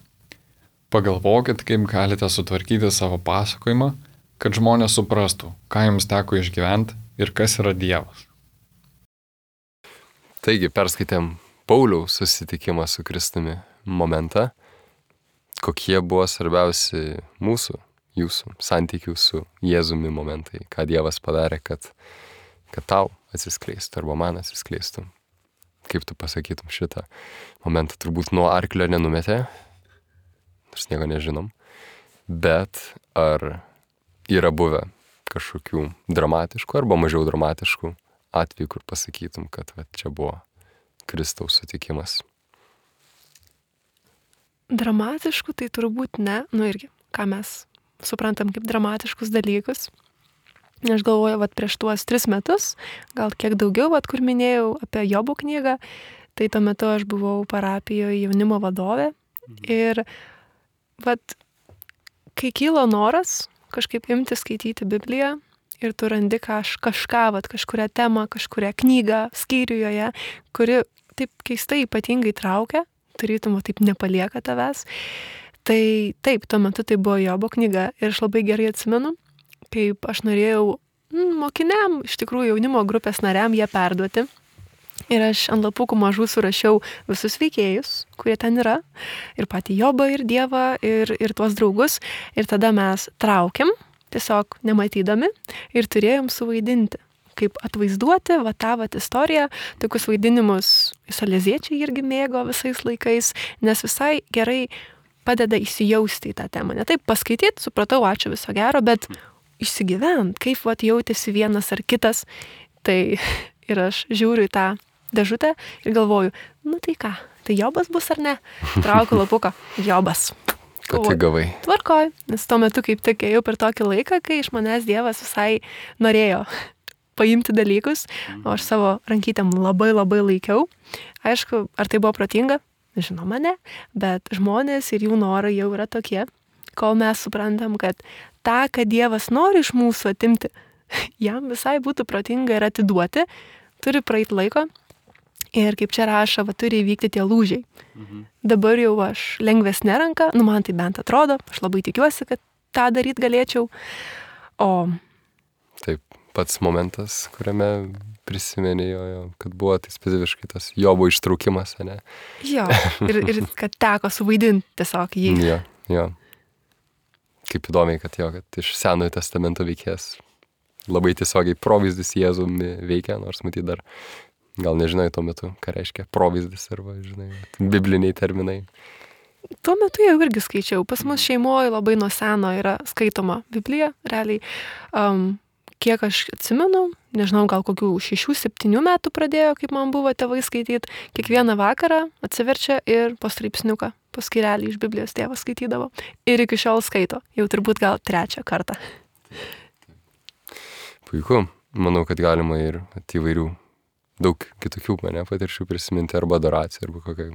Pagalvokit, kaip galite sutvarkyti savo pasakojimą, kad žmonės suprastų, ką jums teko išgyventi ir kas yra Dievas. Taigi, perskaitėm Pauliaus susitikimą su Kristumi momentą, kokie buvo svarbiausi jūsų santykių su Jėzumi momentai, ką Dievas padarė, kad tau atsiskleistų arba man atsiskleistų. Kaip tu pasakytum šitą momentą? Turbūt nuo arklio nenumetė, nors nieko nežinom, bet ar yra buvę kažkokių dramatiškų arba mažiau dramatiškų atvejų, kur pasakytum, kad čia buvo Kristaus sutikimas? Dramatiškų tai turbūt ne, irgi, ką mes suprantam kaip dramatiškus dalykus. Aš galvoju, prieš tuos 3 metus, gal kiek daugiau, kur minėjau apie Jobo knygą, tai tuo metu aš buvau parapijoje jaunimo vadovė ir kai kylo noras kažkaip imti skaityti Bibliją ir tu randi kažką, kažkurią temą, kažkurią knygą, skyrių joje, kuri taip keistai ypatingai traukia, tarytum taip nepalieka tavęs, tai taip, tuo metu tai buvo Jobo knyga ir aš labai gerai atsimenu, kaip aš norėjau mokiniam, iš tikrųjų jaunimo grupės nariam ją perduoti. Ir aš ant lapukų mažų surašiau visus veikėjus, kurie ten yra, ir patį Jobą, ir Dievą, ir tuos draugus. Ir tada mes traukėm, tiesiog nematydami, ir turėjom suvaidinti, kaip atvaizduoti tą istoriją. Tokius vaidinimus saleziečiai irgi mėgo visais laikais, nes visai gerai padeda įsijausti į tą temą. Ne taip paskaityti, supratau, ačiū, viso gero, bet išsigyvent, kaip jautėsi vienas ar kitas. Tai ir aš žiūriu į tą dėžutę ir galvoju, tai ką, tai Jobas bus ar ne? Traukiu lapuką, Jobas. Kad gavai. Tvarkoj, nes tuo metu kaip tik ėjau per tokį laiką, kai iš manęs Dievas visai norėjo paimti dalykus, o aš savo rankytėm labai labai laikiau. Aišku, ar tai buvo protinga? Žinoma, ne, bet žmonės ir jų norai jau yra tokie, kol mes suprantam, kad tą, kad Dievas nori iš mūsų atimti, jam visai būtų protinga ir atiduoti, turi praeiti laiko ir kaip čia rašo, turi įvykti tie lūžiai. Dabar jau aš lengvesnė ranka, man tai bent atrodo, aš labai tikiuosi, kad tą daryti galėčiau. Taip, pats momentas, kuriame prisimenėjo, kad buvo tai specifiškai tas Jobo ištraukimas, ne? Jo, ir kad teko suvaidinti tiesiog jį. Jo. Kaip įdomiai, kad iš Senojo testamento veikėjas labai tiesiogiai provaizdis Jėzumi veikia, nors matyt dar gal nežinai tuo metu, ką reiškia provaizdis arba, bibliniai terminai. Tuo metu jau irgi skaičiau. Pas mus šeimoje labai nuo seno yra skaitoma Biblija, realiai. Kiek aš atsimenu, nežinau, gal kokių 6-7 metų pradėjo, kaip man buvo tėvai skaityti. Kiekvieną vakarą atsiverčia ir po straipsniuką, po skyrelį iš Biblijos tėvas skaitydavo. Ir iki šiol skaito. Jau turbūt gal 3 kartą. Puiku. Manau, kad galima ir įvairių daug kitokių patirčių prisiminti arba adoraciją, arba kokią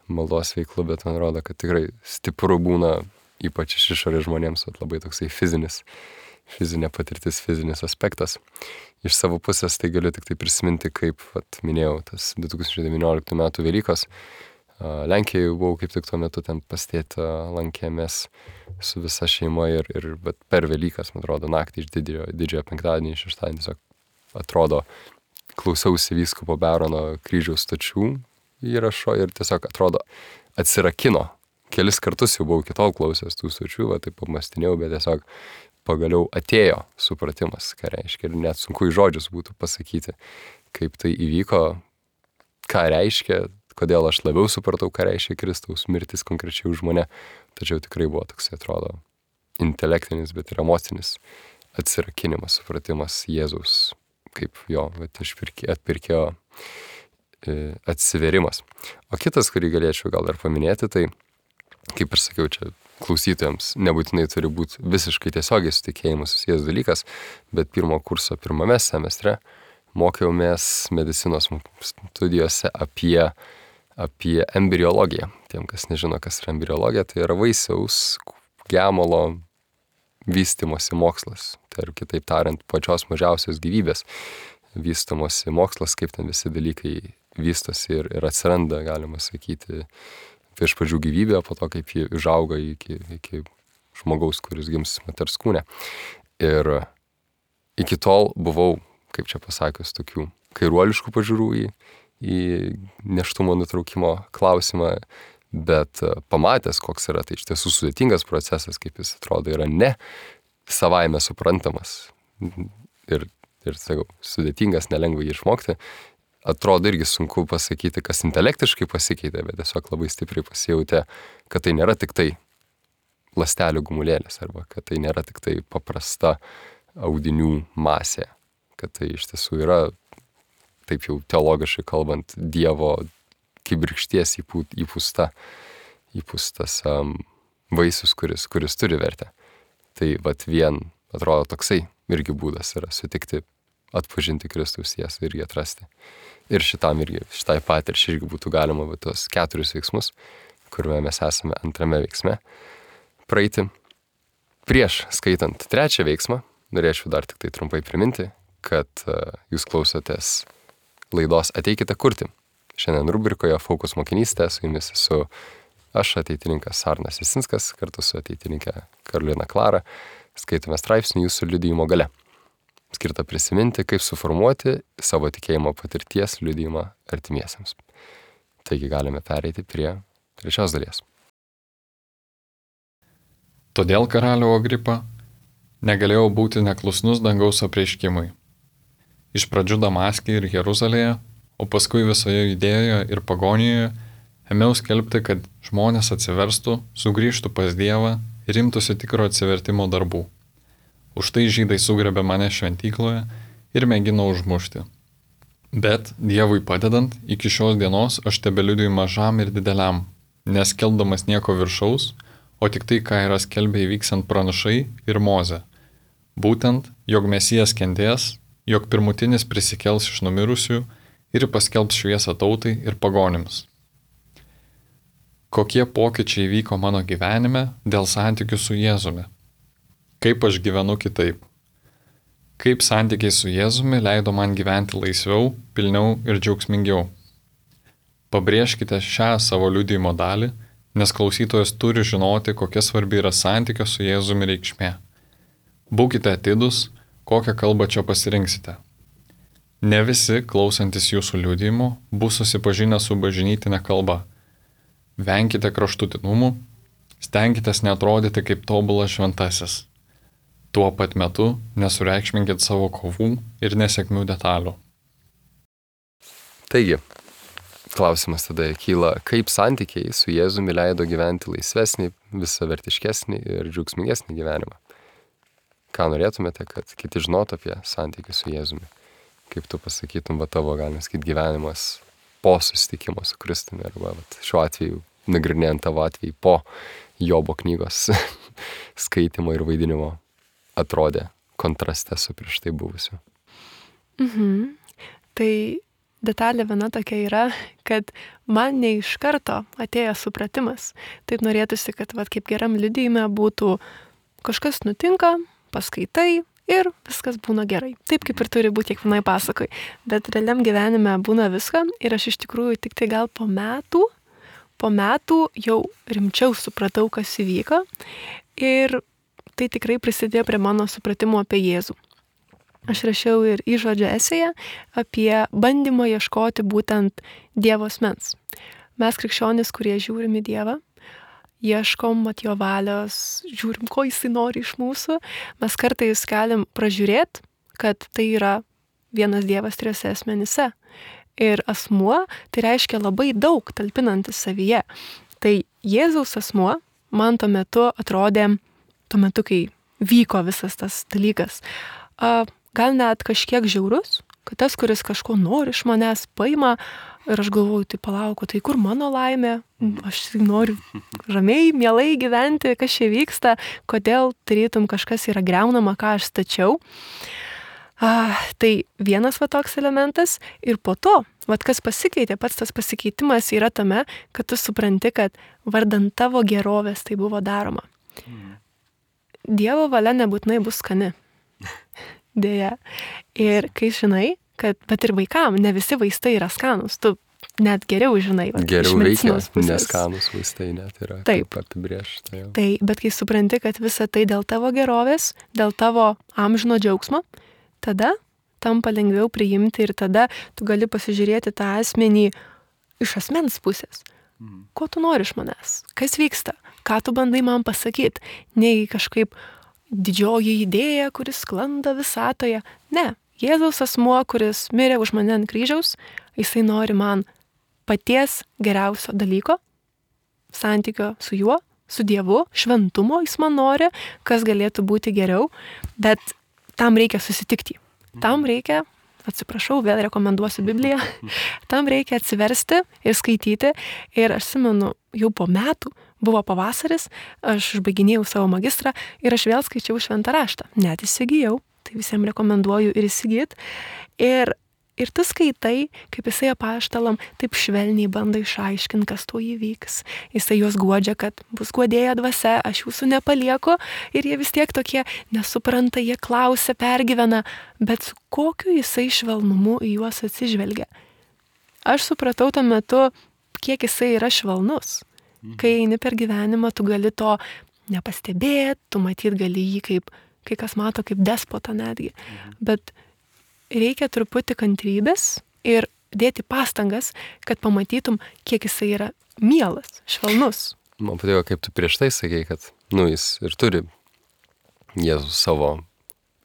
maldos veiklų, bet man rodo, kad tikrai stipru būna, ypač iš išorės žmonėms, labai toksai fizinė patirtis, fizinis aspektas. Iš savo pusės tai galiu tik tai prisiminti, kaip, minėjau, tas 2019 metų Velykos. Lenkijoje buvau kaip tik tuo metu ten pastėti, lankėmės su visa šeima ir per Velykas, man atrodo, naktį iš didžiojo penktadienį, šeštadienį tiesiog atrodo, klausiausi vyskupo Berono kryžiaus stočių įrašo ir tiesiog atrodo atsirakino. Kelis kartus jau buvau iki tol klausęs tų stočių, taip pamastinėjau, bet tiesiog pagaliau atėjo supratimas, ką reiškia, ir net sunku į žodžius būtų pasakyti, kaip tai įvyko, ką reiškia, kodėl aš labiau supratau, ką reiškia Kristaus mirtis konkrečiai už mane, tačiau tikrai buvo toks, atrodo, intelektinis, bet ir emocinis atsirakinimas, supratimas Jėzaus, kaip jo atpirkėjo atsiverimas. O kitas, kurį galėčiau gal dar paminėti, tai, kaip ir sakiau, čia klausytojams nebūtinai turi būti visiškai tiesiogiai su tikėjimu susijęs dalykas, bet pirmo kurso pirmame semestre mokiaumės medicinos studijose apie embriologiją. Tiem, kas nežino, kas yra embriologija, tai yra vaisiaus gemalo vystymosi mokslas. Tai ir kitaip tariant, pačios mažiausios gyvybės vystymosi mokslas, kaip ten visi dalykai vystosi ir atsiranda, galima sakyti, iš pradžių gyvybė, po to kaip ji užauga iki žmogaus, kuris gims moters kūne. Ir iki tol buvau, kaip čia pasakius, tokių kairuoliškų pažiūrų į nėštumo nutraukimo klausimą, bet pamatęs, koks yra, tai iš tiesų sudėtingas procesas, kaip jis atrodo, yra ne savaime suprantamas ir sakau, sudėtingas, nelengva jį išmokti. Atrodo irgi sunku pasakyti, kas intelektiškai pasikeitė, bet tiesiog labai stipriai pasijautė, kad tai nėra tik tai ląstelių gumulėlis, arba kad tai nėra tik tai paprasta audinių masė, kad tai iš tiesų yra, taip jau teologiškai kalbant, Dievo kibirkšties įpūstas vaisius, kuris turi vertę. Tai vat vien, atrodo, toksai irgi būdas yra sutikti, atpažinti Kristaus tiesą ir jį atrasti. Ir šitai patirčiai irgi būtų galima tos 4 veiksmus, kuriuo mes esame antrame veiksme, praeiti. Prieš skaitant 3 veiksmą, norėčiau dar tik tai trumpai priminti, kad jūs klausotės laidos Ateikite kurti. Šiandien rubrikoje Fokus mokinystė, su jumis esu aš, ateitininkas Arnas Jasinskas, kartu su ateitininkė Karolina Klara, skaitome straipsnį Jūsų liudijimo galia, skirta prisiminti, kaip suformuoti savo tikėjimo patirties liudijimą artimiesiems. Taigi galime pereiti prie 3 dalies. Todėl karaliau Agripa negalėjau būti neklusnus dangaus apreiškimui. Iš pradžių Damaske ir Jeruzalėje, o paskui visoje Judėjoje ir Pagonijoje ėmiau skelbti, kad žmonės atsiverstų, sugrįžtų pas Dievą ir imtųsi tikro atsivertimo darbų. Už tai žydai sugrebė mane šventykloje ir mėgino užmušti. Bet Dievui padedant, iki šios dienos aš tebeliudiju mažam ir dideliam, neskelbdamas nieko viršaus, o tik tai, ką yra skelbę įvyksant pranašai ir Mozė. Būtent, jog Mesijas kentės, jog pirmutinis prisikels iš numirusių ir paskelbs šviesą tautai ir pagonims. Kokie pokyčiai vyko mano gyvenime dėl santykių su Jėzumi? Kaip aš gyvenu kitaip? Kaip santykiai su Jėzumi leido man gyventi laisviau, pilniau ir džiaugsmingiau? Pabrėžkite šią savo liudijimo dalį, nes klausytojas turi žinoti, kokia svarbi yra santykio su Jėzumi reikšmė. Būkite atidūs, kokią kalbą čia pasirinksite. Ne visi, klausantis jūsų liudijimo, bus susipažinę su bažnytinė kalba. Venkite kraštutinumų, stenkitės neatrodyti kaip tobulas šventasis. Tuo pat metu nesureikšminkit savo kovų ir nesėkmių detalių. Taigi, klausimas tada kyla, kaip santykiai su Jėzumi leido gyventi laisvesnį, visavertiškesnį ir džiaugsmingesnį gyvenimą. Ką norėtumėte, kad kiti žinotų apie santykius su Jėzumi? Kaip tu pasakytum, tavo, galima sakyti, gyvenimas po susitikimo su Kristumi, arba šiuo atveju, nagrinėjant tavo atvejį po Jobo knygos skaitimo ir vaidinimo, atrodė kontraste su prieš tai buvusiu. Tai detalė viena tokia yra, kad man ne iš karto atėjo supratimas. Taip norėtųsi, kad kaip geram liudijime būtų kažkas nutinka, paskaitai ir viskas būna gerai. Taip kaip ir turi būti kiekvienai pasakoj. Bet realiam gyvenime būna viską ir aš iš tikrųjų tik tai gal po metų jau rimčiau supratau, kas įvyko. Ir tai tikrai prisidėjo prie mano supratimo apie Jėzų. Aš rašiau ir įžodžio esėje apie bandymą ieškoti būtent Dievo asmens. Mes krikščionys, kurie žiūrim į Dievą, ieškom jo valios, žiūrim, ko jisai nori iš mūsų. Mes kartais galim pražiūrėti, kad tai yra vienas Dievas 3 asmenyse. Ir asmuo tai reiškia labai daug talpinantis savyje. Tai Jėzaus asmuo man tuo metu atrodė, kai vyko visas tas dalykas, gal net kažkiek žiaurus, kad tas, kuris kažko nori iš manęs, paima ir aš galvoju, tai palauku, tai kur mano laimė, aš noriu ramiai, mielai gyventi, kas čia vyksta, kodėl tarytum kažkas yra greunama, ką aš stačiau. Tai vienas va toks elementas ir po to, va kas pasikeitė, pats tas pasikeitimas yra tame, kad tu supranti, kad vardant tavo gerovės tai buvo daroma. Dievo valia nebūtinai bus skani. Dėja. Ir kai žinai, kad, bet ir vaikam, ne visi vaistai yra skanus, tu net geriau žinai. Va, geriau veikia, neskanus vaistai net yra. Taip. Apibrėžta. Tai, bet kai supranti, kad visa tai dėl tavo gerovės, dėl tavo amžino džiaugsmo, tada tampa lengviau priimti ir tada tu gali pasižiūrėti tą asmenį iš asmens pusės. Ko tu nori iš manęs? Kas vyksta? Ką tu bandai man pasakyti? Nei kažkaip didžioji idėja, kuris sklanda visatoje. Ne, Jėzaus asmuo, kuris mirė už mane ant kryžiaus, jisai nori man paties geriausio dalyko, santykio su juo, su Dievu, šventumo jis man nori, kas galėtų būti geriau, bet tam reikia susitikti. Tam reikia, atsiprašau, vėl rekomenduosiu Bibliją, tam reikia atsiversti ir skaityti. Ir aš atsimenu, jau po metų, buvo pavasaris, aš užbaiginėjau savo magistrą ir aš vėl skaičiau šventą raštą. Net įsigijau, tai visiems rekomenduoju ir įsigyti. Ir tu skaitai, kaip jisai apaštalam taip švelniai bando išaiškinti, kas to įvyks. Jisai juos guodžia, kad bus guodėja dvasia, aš jūsų nepalieku. Ir jie vis tiek tokie nesupranta, jie klausia, pergyvena, bet su kokiu jisai švelnumu į juos atsižvelgia. Aš supratau tuo metu, kiek jisai yra švelnus. Kai eini per gyvenimą, tu gali to nepastebėti, tu matyt gali jį kaip, kai kas mato kaip despotą netgi. Bet reikia truputį kantrybės ir dėti pastangas, kad pamatytum, kiek jisai yra mielas, švelnus. Man patiko, kaip tu prieš tai sakei, kad jis ir turi Jėzus savo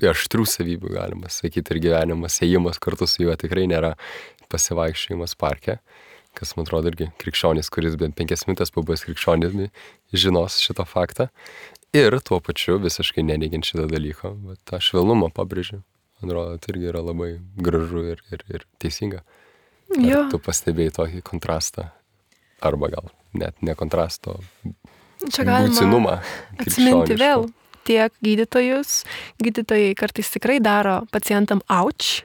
aštrių savybių, galima sakyti, ir gyvenimas, ėjimas kartu su juo tikrai nėra pasivaikščiojimas parke, kas man atrodo irgi krikščionis, kuris bent 5 minutės pabuvęs krikščionimi, žinos šitą faktą. Ir tuo pačiu visiškai neneigiant šitą dalyką, bet tą švelnumą pabrėžiu. Man atrodo, tai irgi yra labai gražu ir teisinga. Ar tu pastebėjai tokį kontrastą? Arba gal net ne kontrasto, būtinumą. Atsiminti vėl tiek gydytojai kartais tikrai daro pacientam auč,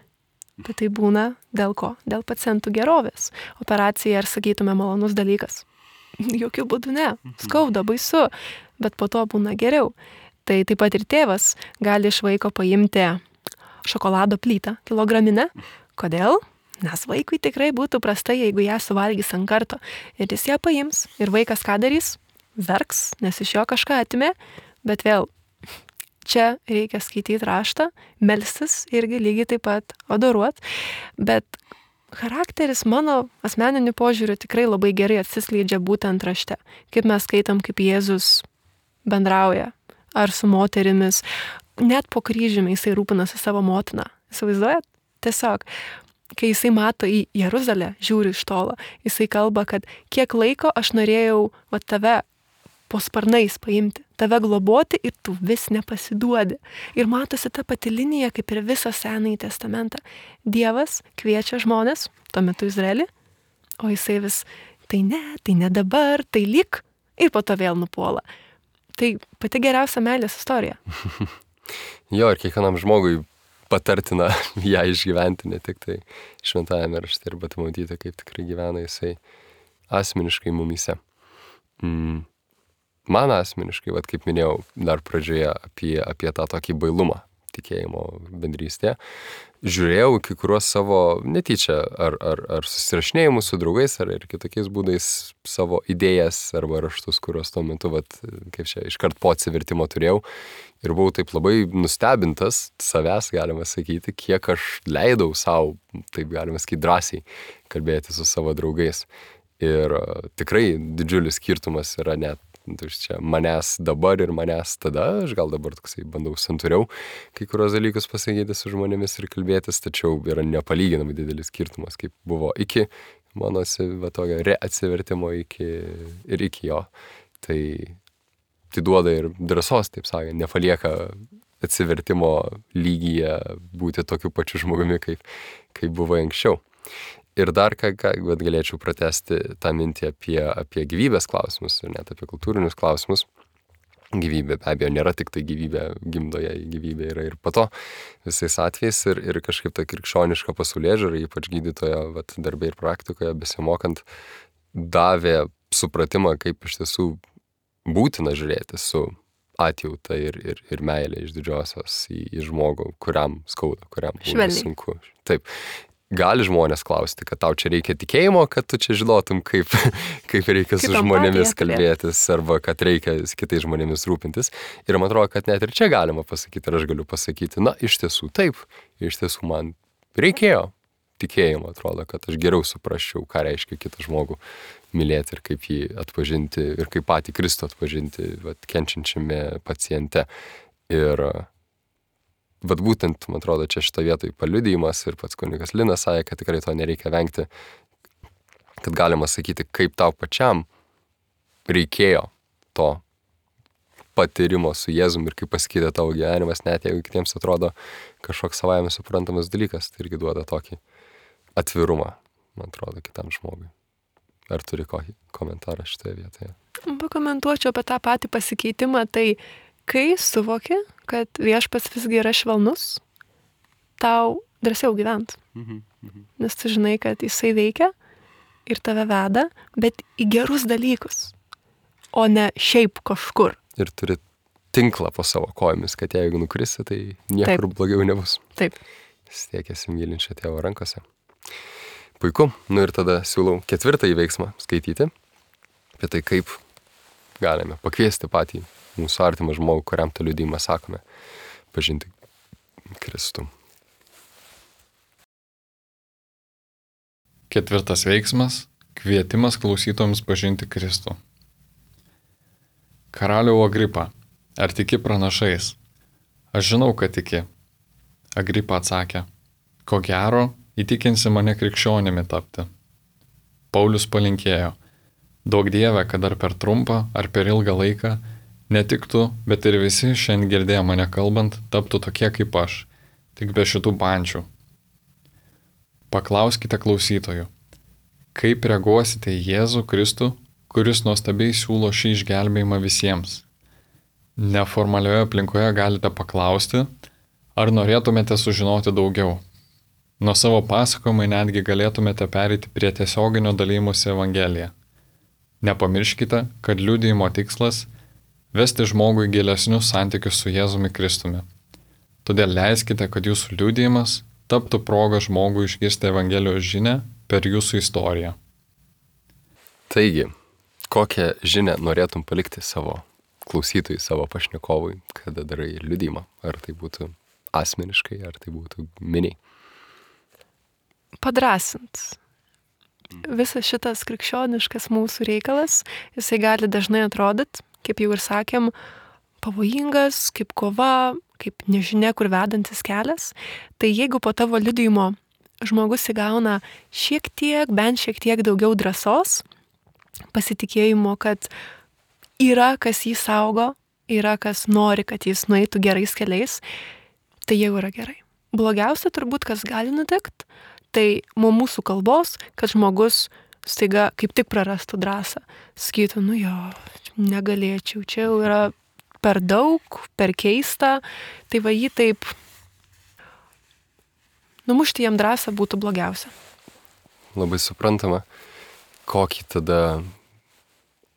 bet tai būna dėl ko? Dėl pacientų gerovės. Operacija, ar sakytume, malonus dalykas. Jokių būdų ne. Skauda, baisu, bet po to būna geriau. Tai taip pat ir tėvas gali iš vaiko paimti šokolado plytą kilograminę. Kodėl? Nes vaikui tikrai būtų prastai, jeigu ją suvalgys ant karto. Ir jis ją paims. Ir vaikas ką darys? Verks, nes iš jo kažką atimė. Bet vėl, čia reikia skaityti raštą, melstis irgi lygiai taip pat adoruot. Bet charakteris mano asmeniniu požiūriu tikrai labai gerai atsiskleidžia būtent rašte. Kaip mes skaitam, kaip Jėzus bendrauja. Ar su moterimis. Net po kryžiumi jisai rūpinasi savo motiną. Įsivaizduojat? Tiesiog, kai jisai mato į Jeruzalę, žiūri iš tolo, jisai kalba, kad kiek laiko aš norėjau tave po sparnais paimti, tave globoti ir tu vis nepasiduodi. Ir matosi ta pati linija, kaip ir visą Senąjį testamentą. Dievas kviečia žmonės, tuo metu Izraelį, o jisai vis, tai ne dabar, tai lyg, ir po to vėl nupuola. Tai pati geriausia meilės istorija. Jo, ir kiekvienam žmogui patartina ją išgyventi, ne tik tai šventajame rašte, bet matyti, kaip tikrai gyvena jisai asmeniškai mumyse. Man asmeniškai, kaip minėjau dar pradžioje, apie tą tokį bailumą tikėjimo bendrystėje, žiūrėjau kai kuriuos savo netyčia ar susirašinėjimus su draugais, ar ir kitokiais būdais savo idėjas arba raštus, kuriuos tuo metu, kaip čia, iškart po atsivertimo turėjau. Ir buvau taip labai nustebintas savęs, galima sakyti, kiek aš leidau savo, taip galima sakyti, drąsiai kalbėti su savo draugais. Ir tikrai didžiulis skirtumas yra net čia manęs dabar ir manęs tada. Aš gal dabar toksai bandau santūriau kai kurios dalykus pasakyti su žmonėmis ir kalbėtis, tačiau yra nepalyginamai didelis skirtumas, kaip buvo iki mano tokio reatsivertimo iki jo. Tai duoda ir drąsos, taip sakant, nepalieka atsivertimo lygyje būti tokiu pačiu žmogumi, kaip buvo anksčiau. Ir dar ką galėčiau pratesti tą mintį apie gyvybės klausimus ir net apie kultūrinius klausimus. Gyvybė be abejo nėra tik tai gyvybė gimdoje, gyvybė yra ir po to visais atvejais ir kažkaip ta krikščioniška pasaulėžiūra, ypač gydytojo darbė ir praktikoje besimokant, davė supratimą, kaip iš tiesų būtina žiūrėti su atjauta ir meilė iš didžiosios į žmogų, kuriam skauda, kuriam būna sunku. Taip. Gali žmonės klausti, kad tau čia reikia tikėjimo, kad tu čia žinotum, kaip reikia su žmonėmis kalbėtis arba kad reikia kitais žmonėmis rūpintis. Ir man atrodo, kad net ir čia galima pasakyti, ir aš galiu pasakyti, na, iš tiesų taip, iš tiesų man reikėjo tikėjimo, atrodo, kad aš geriau suprasčiau, ką reiškia kitą žmogų mylėti ir kaip jį atpažinti ir kaip patį Kristų atpažinti, kenčiančiame paciente. Ir būtent, man atrodo, čia šitą vietoj paliudijimas ir pats kunigas Linas sakė, kad tikrai to nereikia vengti, kad galima sakyti, kaip tau pačiam reikėjo to patyrimo su Jėzum ir kaip pasikeitė tavo gyvenimas, net jeigu kitiems atrodo kažkoks savaime suprantamas dalykas, tai irgi duoda tokį atvirumą, man atrodo, kitam žmogui. Ar turi kokį komentarą šitoje vietoje? Pakomentuočiau apie tą patį pasikeitimą, tai kai suvoki, kad Viešpats visgi yra švelnus, tau drąsiau gyvent. Nes tu žinai, kad jisai veikia ir tave veda, bet į gerus dalykus, o ne šiaip kažkur. Ir turi tinklą po savo kojomis, kad jeigu nukrisi, tai niekur blogiau nebus. Taip. Stiekėsi mylinčio tėvo rankose. Puiku. Ir tada siūlau 4. veiksmą skaityti. Apie tai, kaip galime pakviesti patį mūsų artimą žmogų, kuriam tą liudijimą sakome, pažinti Kristų. 4. veiksmas – kvietimas klausytojams pažinti Kristų. Karaliau Agripa, ar tiki pranašais? Aš žinau, kad tiki. Agripa atsakė, ko gero, įtikinsi mane krikščionimi tapti. Paulius palinkėjo, duok Dieve, kad ar per trumpą, ar per ilgą laiką ne tik tu, bet ir visi šiandien girdėję mane kalbant, taptų tokie kaip aš, tik be šitų pančių. Paklauskite klausytojų, kaip reaguosite į Jėzų Kristų, kuris nuostabiai siūlo šį išgelbėjimą visiems. Neformalioje aplinkoje galite paklausti, ar norėtumėte sužinoti daugiau. Nuo savo pasakojimų netgi galėtumėte pereiti prie tiesioginio dalymosi Evangeliją. Nepamirškite, kad liudijimo tikslas – vesti žmogui gilesnius santykius su Jėzumi Kristumi. Todėl leiskite, kad jūsų liudijimas taptų progą žmogui išgirsti Evangelijos žinią per jūsų istoriją. Taigi, kokią žinią norėtum palikti savo klausytojui, savo pašnekovui, kada darai liudijimą? Ar tai būtų asmeniškai, ar tai būtų miniai? Padrasint. Visas šitas krikščioniškas mūsų reikalas, jisai gali dažnai atrodyti, kaip jau ir sakėm, pavojingas, kaip kova, kaip nežinia, kur vedantis kelias. Tai jeigu po tavo liudijimo žmogus įgauna bent šiek tiek daugiau drąsos, pasitikėjimo, kad yra kas jį saugo, yra kas nori, kad jis nueitų gerais keliais, tai jau yra gerai. Blogiausia turbūt, kas gali nutikti, tai mūsų kalbos, kad žmogus staiga kaip tik prarastų drąsą. Sakytų, negalėčiau, čia jau yra per daug, per keista, tai va jį taip numušti jam drąsą būtų blogiausia. Labai suprantama, kokį tada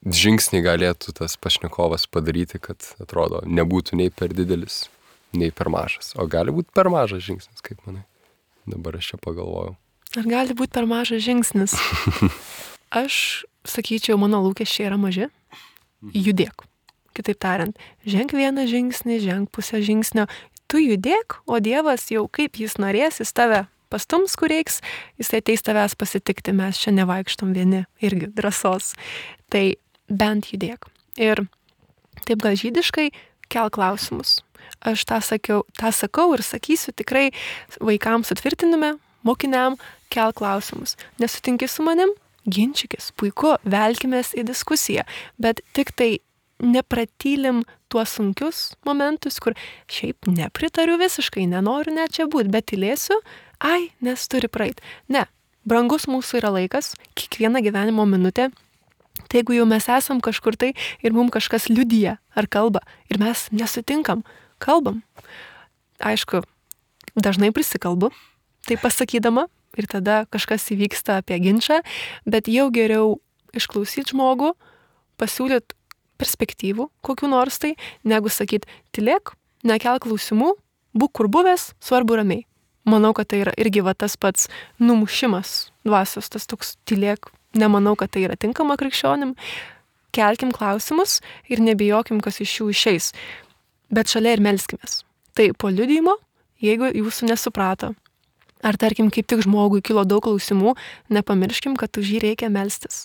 žingsnį galėtų tas pašnekovas padaryti, kad atrodo nebūtų nei per didelis, nei per mažas. O gali būti per mažas žingsnis, kaip manai? Dabar aš čia pagalvojau. Ar gali būti per mažas žingsnis? Aš sakyčiau, mano lūkesčiai yra maži. Judėk. Kitaip tariant, ženk vieną žingsnį, ženk pusę žingsnio. Tu judėk, o Dievas jau kaip jis norės, jis tave pastums, kur reiks, jis ateis tavęs pasitikti, mes čia nevaikštom vieni, irgi drąsos. Tai bent judėk. Ir taip gal žydiškai, kelk klausimus. Aš tą sakau ir sakysiu tikrai vaikams atvirtinime, mokiniam, kelk klausimus. Nesutinki su manim? Ginčykis, puiku, velkimės į diskusiją, bet tik tai nepratylim tuos sunkius momentus, kur šiaip nepritariu visiškai, nenoriu net čia būti, bet tylėsiu, nes turi praeiti. Ne, brangus mūsų yra laikas, kiekviena gyvenimo minutė. Tai jeigu jau mes esam kažkur tai ir mums kažkas liudija ar kalba ir mes nesutinkam, kalbam. Aišku, dažnai prisikalbu, tai pasakydama ir tada kažkas įvyksta apie ginčą, bet jau geriau išklausyti žmogų, pasiūlyti perspektyvų, kokių nors tai, negu sakyti, tylėk, nekelk klausimų, būk kur buvęs, svarbu ramiai. Manau, kad tai yra irgi tas pats numušimas dvasios, tas toks tylėk. Nemanau, kad tai yra tinkama krikščionim. Kelkim klausimus ir nebijokim, kas iš jų išeis. Bet šalia ir melskimės. Tai po liudijimo, jeigu jūsų nesuprato, ar tarkim, kaip tik žmogui kilo daug klausimų, nepamirškim, kad už jį reikia melstis.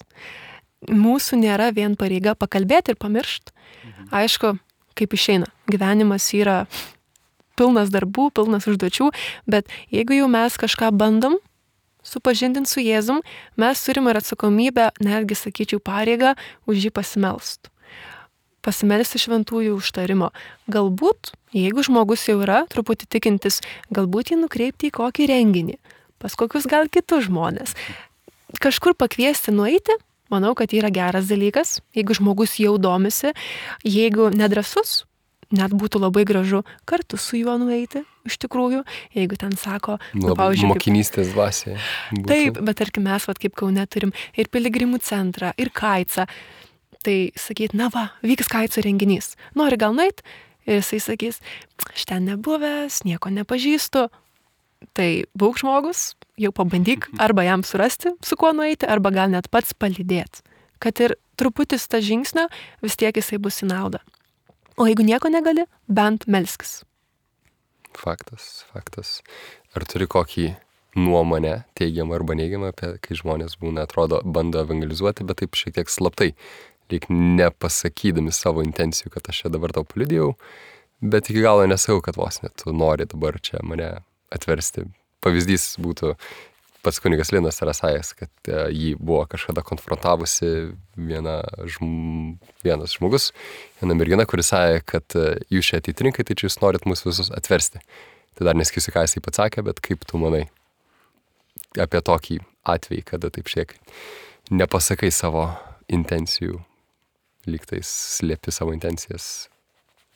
Mūsų nėra vien pareiga pakalbėti ir pamiršti. Aišku, kaip išeina. Gyvenimas yra pilnas darbų, pilnas užduočių, bet jeigu jau mes kažką bandom supažindinti su Jėzum, mes turime ir atsakomybę, netgi sakyčiau pareigą, už jį pasimelst. Pasimelsti šventųjų užtarimo. Galbūt, jeigu žmogus jau yra truputį tikintis, galbūt jį nukreipti į kokį renginį, pas kokius gal kitus žmonės. Kažkur pakviesti nueiti, manau, kad yra geras dalykas, jeigu žmogus jau domisi, jeigu nedrąsus, net būtų labai gražu kartu su juo nueiti, iš tikrųjų, jeigu ten sako, pavyzdžiui, mokinystės dvasiai. Taip, bet tarkim mes, kaip Kaune turim ir piligrimų centrą, ir kaicą, tai sakyt, vyks kaico renginys, nori gal nueit? Ir jisai sakys, aš ten nebuvęs, nieko nepažįstu. Tai būk žmogus, jau pabandyk arba jam surasti, su kuo nueiti, arba gal net pats palydėti. Kad ir truputis tą žingsnio, vis tiek jisai bus į naudą. O jeigu nieko negali, bent melskis. Faktas. Ar turi kokį nuomonę, teigiamą arba neigiamą, apie kai žmonės būna, atrodo, bando evangelizuoti, bet taip šiek tiek slaptai, lyg nepasakydami savo intencijų, kad aš čia dabar tau paliudijau, bet iki galo nesakau, kad vos net tu nori dabar čia mane atversti. Pavyzdys būtų pats kunigas Linas yra sakęs, kad jį buvo kažkada konfrontavusi vienas žmogus, viena mergina, kuris sakė, kad jūs čia ateitininkai, tai čia jūs norit mus visus atversti. Tai dar nesakysiu, ką jisai pats sakė, bet kaip tu manai apie tokį atvejį, kada taip šiek nepasakai savo intencijų, lygtais slėpi savo intencijas,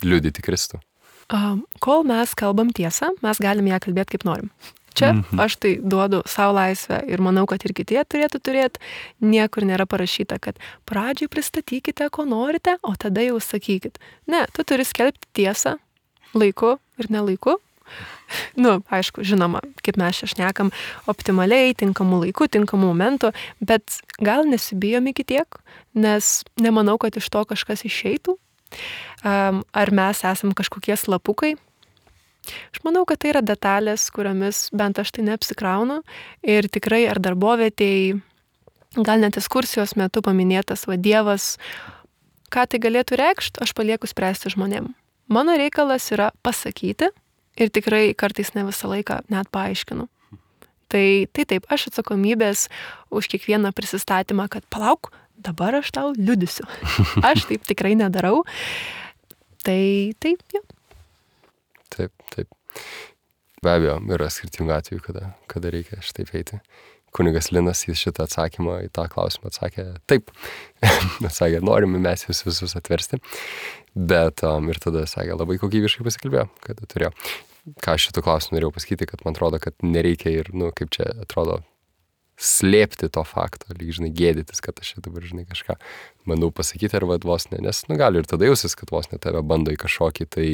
liudyti Kristų. Kol mes kalbam tiesą, mes galim ją kalbėti kaip norim. Čia aš tai duodu savo laisvę ir manau, kad ir kiti turėtų turėti. Niekur nėra parašyta, kad pradžiai pristatykite, ko norite, o tada jau sakykit. Ne, tu turi skelbti tiesą laiku ir nelaiku. Aišku, žinoma, kaip mes čia šnekam, optimaliai, tinkamų laikų, tinkamų momentų, bet gal nesibijom iki tiek, nes nemanau, kad iš to kažkas išeitų. Ar mes esam kažkokie slapukai? Aš manau, kad tai yra detalės, kuriomis bent aš tai neapsikraunu ir tikrai ar darbovietėj, gal net ekskursijos metu paminėtas Dievas, ką tai galėtų reikšti, aš palieku spręsti žmonėm. Mano reikalas yra pasakyti ir tikrai kartais ne visą laiką net paaiškinu. Tai taip, aš atsakomybės už kiekvieną prisistatymą, kad palauk, dabar aš tau liudysiu. Aš taip tikrai nedarau. Tai jo. Taip. Be abejo, yra skirtingų atvejų, kada reikia šitaip eiti. Kunigas Linas į šitą atsakymą, į tą klausimą atsakė taip. Atsakė, norime mes jūs visus atversti. Bet ir tada sakė, labai kokybiškai pasikalbėjo, kada turėjo. Ką aš šitų klausimų norėjau pasakyti, kad man atrodo, kad nereikia ir, kaip čia atrodo, slėpti to fakto, lyg, gėdytis, kad aš čia dabar, kažką bandau pasakyti, ar vos ne, nes, gali ir tada jausis, kad vos ne tave bando į kažkokį tai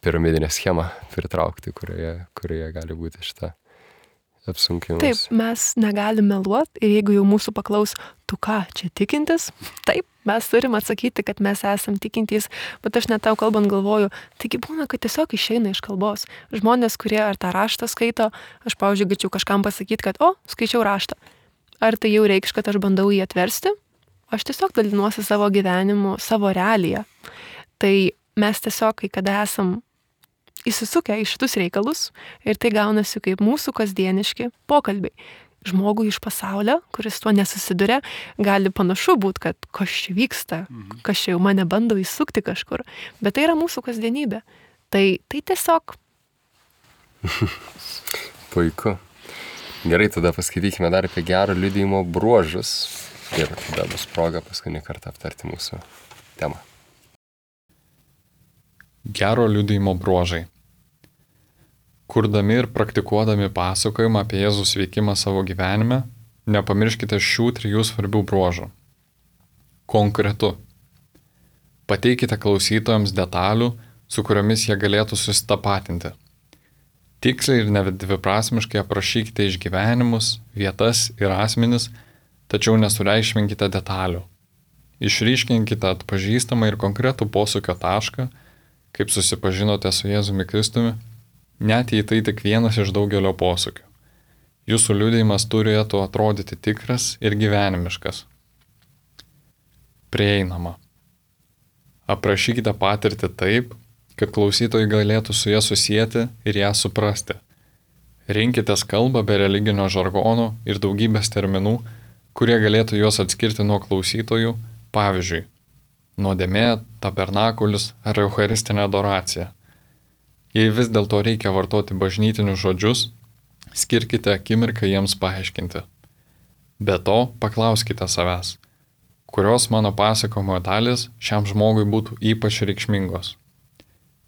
piramidinę schemą pritraukti, kurioje gali būti šitą apsunkimas. Taip, mes negalim meluoti ir jeigu jau mūsų paklaus, tu ką, čia tikintis? Taip, mes turim atsakyti, kad mes esam tikintys, bet aš net tau kalbant galvoju, taigi būna, kad tiesiog išeina iš kalbos. Žmonės, kurie ar tą raštą skaito, aš, pavyzdžiui, galėčiau kažkam pasakyti, kad, skaičiau raštą. Ar tai jau reikš, kad aš bandau jį atversti? Aš tiesiog dalinuosi savo gyvenimu, savo realiją. Tai mes tiesiog, kai kada esam įsisukę į šitus reikalus ir tai gaunasi kaip mūsų kasdieniški pokalbiai. žmogui iš pasaulio, kuris tuo nesusiduria, gali panašu būti, kad kas čia vyksta, kas čia jau mane bando įsukti kažkur. Bet tai yra mūsų kasdienybė. Tai tiesiog. Puiku. Gerai, tada paskaitykime dar apie gero liudijimo bruožus. Ir tada bus proga paskutinį kartą aptarti mūsų temą. Gero liudijimo bruožai. Kurdami ir praktikuodami pasakojimą apie Jėzaus veikimą savo gyvenime, nepamirškite šių 3 svarbių bruožų. Konkretu. Pateikite klausytojams detalių, su kuriomis jie galėtų susitapatinti. Tiksliai ir nedviprasmiškai aprašykite išgyvenimus, vietas ir asmenis, tačiau nesureikšminkite detalių. Išryškinkite atpažįstamą ir konkretų posūkio tašką, kaip susipažinote su Jėzumi Kristumi, net jei tai tik vienas iš daugelio posūkių. Jūsų liudijimas turėtų atrodyti tikras ir gyvenimiškas. Prieinama. Aprašykite patirtį taip, kad klausytojai galėtų su ją susieti ir ją suprasti. Rinkitės kalbą be religinio žargono ir daugybės terminų, kurie galėtų juos atskirti nuo klausytojų, pavyzdžiui, nuodėmė, tabernakulis ar eucharistinė adoracija. Jei vis dėlto reikia vartoti bažnytinius žodžius, skirkite akimirką jiems paaiškinti. Be to, paklauskite savęs, kurios mano pasakojimo dalys šiam žmogui būtų ypač reikšmingos.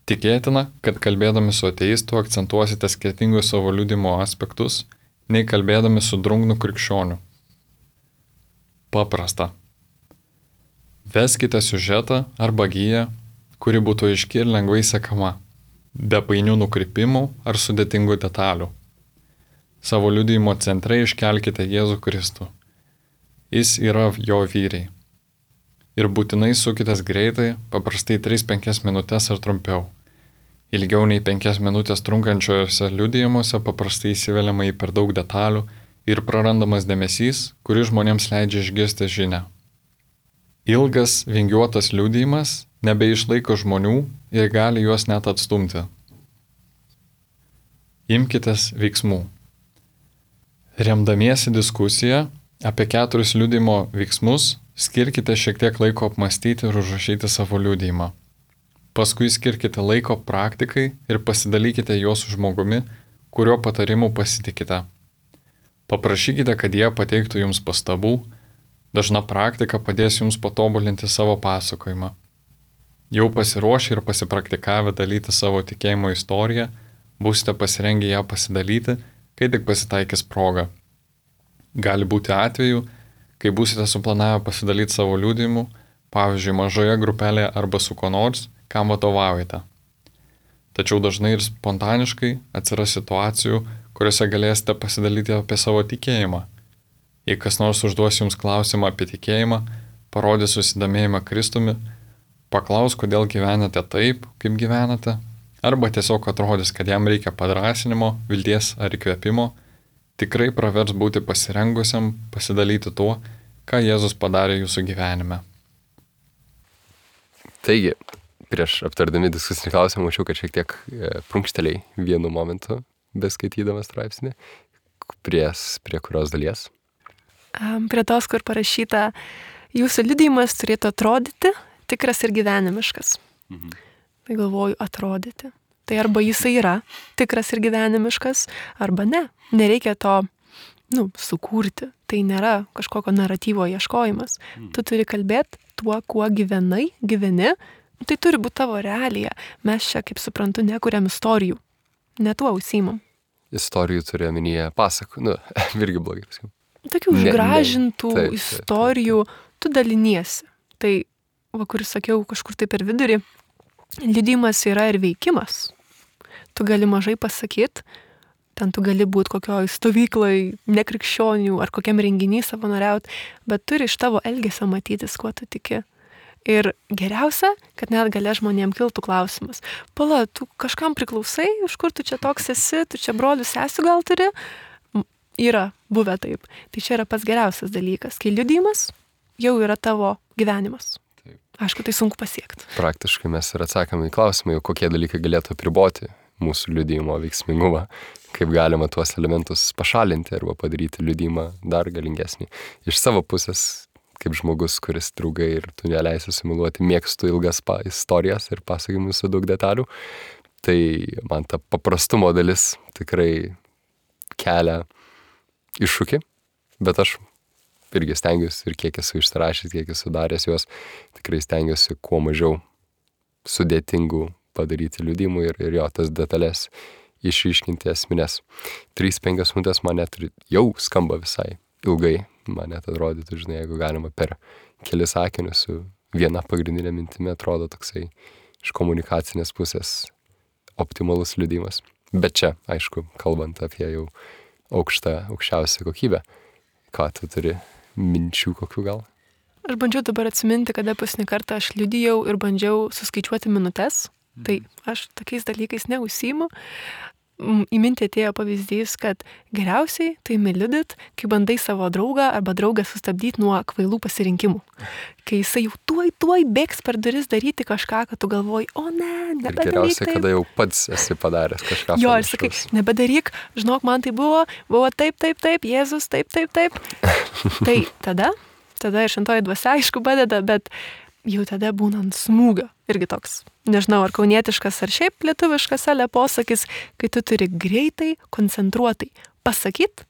Tikėtina, kad kalbėdami su ateistu akcentuosite skirtingus savo liudijimo aspektus, nei kalbėdami su drungnu krikščioniu. Paprasta. Veskite siužetą arba giją, kuri būtų aiški ir lengvai sekama, be painių nukrypimų ar sudėtingų detalių. Savo liudijimo centre iškelkite Jėzų Kristų. Jis yra jo vyriai. Ir būtinai sukitės greitai, paprastai 3-5 minutės ar trumpiau. Ilgiau nei 5 minutės trunkančiuose liudijimuose paprastai įsiveliama į per daug detalių ir prarandamas dėmesys, kuris žmonėms leidžia išgirsti žinią. Ilgas, vingiuotas liudijimas nebeišlaiko žmonių ir gali juos net atstumti. Imkitės veiksmų. Remdamiesi diskusiją apie 4 liudijimo veiksmus, skirkite šiek tiek laiko apmastyti ir užrašyti savo liudijimą. Paskui skirkite laiko praktikai ir pasidalykite juos su žmogumi, kurio patarimu pasitikite. Paprašykite, kad jie pateiktų jums pastabų, dažna praktika padės jums patobulinti savo pasakojimą. Jau pasiruošę ir pasipraktikavę dalyti savo tikėjimo istoriją, būsite pasirengę ją pasidalyti, kai tik pasitaikys proga. Gali būti atvejų, kai būsite suplanavę pasidalyti savo liudijimu, pavyzdžiui, mažoje grupelėje arba su kuo nors, kam vadovaujate. Tačiau dažnai ir spontaniškai atsiras situacijų, kuriuose galėsite pasidalyti apie savo tikėjimą. Jei kas nors užduos jums klausimą apie tikėjimą, parodys susidomėjimą Kristumi, paklaus, kodėl gyvenate taip, kaip gyvenate, arba tiesiog atrodys, kad jam reikia padrąsinimo, vilties ar įkvėpimo, tikrai pravers būti pasirengusiam pasidalyti tuo, ką Jėzus padarė jūsų gyvenime. Taigi, prieš aptardami diskusinį klausimą, mačiau, kad šiek tiek prunkšteliai vienu momentu, beskaitydamas straipsnį. Prie kurios dalies? Prie tos, kur parašyta, jūsų liudijimas turėtų atrodyti tikras ir gyvenimiškas. Tai galvoju, atrodyti. Tai arba jisai yra tikras ir gyvenimiškas, arba ne. Nereikia to, sukurti. Tai nėra kažkokio naratyvo ieškojimas. Tu turi kalbėti tuo, kuo gyveni. Tai turi būti tavo realija. Mes čia, kaip suprantu, nekuriam istorijų. Ne tuo užsiimam. Istorijų turi omenyje pasakų. Irgi blogai pasakiau. Tokių užgražintų istorijų tu daliniesi. Tai, kuris sakiau, kažkur tai per vidurį, liudijimas yra ir veikimas. Tu gali mažai pasakyti, ten tu gali būti kokioj stovyklai, nekrikščionių ar kokiam renginį savanoriauti, bet turi iš tavo elgesio matytis, kuo tu tiki. Ir geriausia, kad net galia žmonėm kiltų klausimas. Pala, tu kažkam priklausai, iš kur tu čia toks esi, tu čia brolių sesių gal turi? Yra buvę taip. Tai čia yra pats geriausias dalykas. Kai liudijimas jau yra tavo gyvenimas. Aišku, tai sunku pasiekti. Praktiškai mes ir atsakome į klausimą, kokie dalykai galėtų apriboti mūsų liudijimo veiksmingumą, kaip galima tuos elementus pašalinti arba padaryti liudijimą dar galingesnį. Iš savo pusės, kaip žmogus, kuris draugai ir tu neleisi sumiluoti, mėgstu ilgas istorijas ir pasakymus su daug detalių, tai man ta paprastumo dalis tikrai kelia iššūkį, bet aš irgi stengiuosi ir kiek esu išsirašęs, kiek esu daręs juos, tikrai stengiuosi kuo mažiau sudėtingų padaryti liudijimų ir jo tas detalės išryškinti esminės. 3-5 minutės man net jau skamba visai ilgai, man net atrodytų, žinai, jeigu galima per kelis sakinius su viena pagrindinė mintimi, atrodo toksai iš komunikacinės pusės optimalus liudijimas. Bet čia, aišku, kalbant apie jau aukščiausią kokybę, ką tu turi minčių kokių gal? Aš bandžiau dabar atsiminti, kada paskutinį kartą aš liudijau ir bandžiau suskaičiuoti minutes. Tai aš tokiais dalykais neužsiimu. Į mintį atėjo pavyzdys, kad geriausiai tai liudyt, kai bandai savo draugą arba draugą sustabdyti nuo kvailų pasirinkimų. Kai jisai jau tuoj bėgs per duris daryti kažką, kad tu galvoji, o ne, nebedaryk. Ir geriausiai, kada jau pats esi padaręs kažką. Jo, ir sakai, nebedaryk, žinok, man tai buvo taip, Jėzus, taip. Tai tada ir šventoji dvasia aišku padeda, bet jau tada būnant smūgio. Irgi toks, nežinau, ar kaunietiškas, ar šiaip lietuviškas posakis, kai tu turi greitai, koncentruotai pasakyti,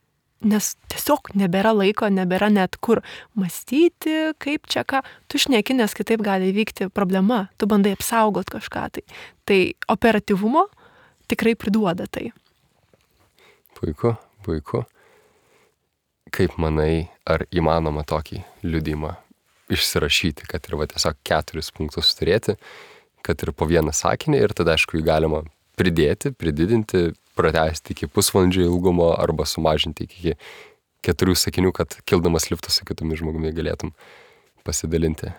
nes tiesiog nebėra laiko, nebėra net kur mąstyti, kaip čia ką. Tu šneki, nes kitaip gali įvykti problema, tu bandai apsaugot kažką. Tai operatyvumo tikrai priduoda tai. Puiku. Kaip manai, ar įmanoma tokį liudijimą išsirašyti, kad ir tiesiog 4 punktus turėti, kad ir po vieną sakinį ir tada, aišku, jį galima prididinti, pratęsti iki pusvalandžio ilgumo arba sumažinti iki 4 sakinių, kad kildamas liftu su kitumi žmogumi galėtum pasidalinti.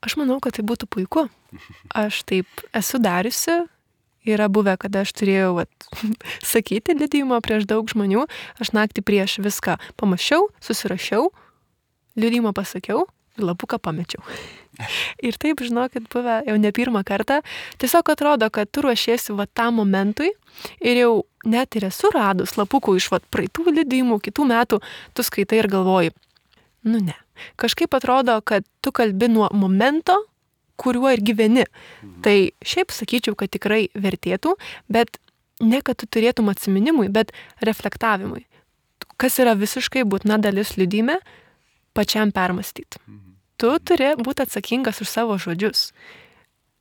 Aš manau, kad tai būtų puiku. Aš taip esu dariusi. Yra buvę, kada aš turėjau sakyti liudijimą prieš daug žmonių, aš naktį prieš viską pamačiau, susirašiau, liudijimą pasakiau ir lapuką pamečiau. Ir taip, žinokit, buvę jau ne pirmą kartą, tiesiog atrodo, kad tu ruošiesi tam momentui ir jau net ir esu radus lapukų iš praeitų liudijimų, kitų metų, tu skaitai ir galvoji, ne. Kažkaip atrodo, kad tu kalbi nuo momento, kuriuo ir gyveni. Tai šiaip sakyčiau, kad tikrai vertėtų, bet ne kad tu turėtum atsiminimui, bet reflektavimui. Kas yra visiškai būtina dalis liudijime, pačiam permastyti. Tu turi būti atsakingas už savo žodžius.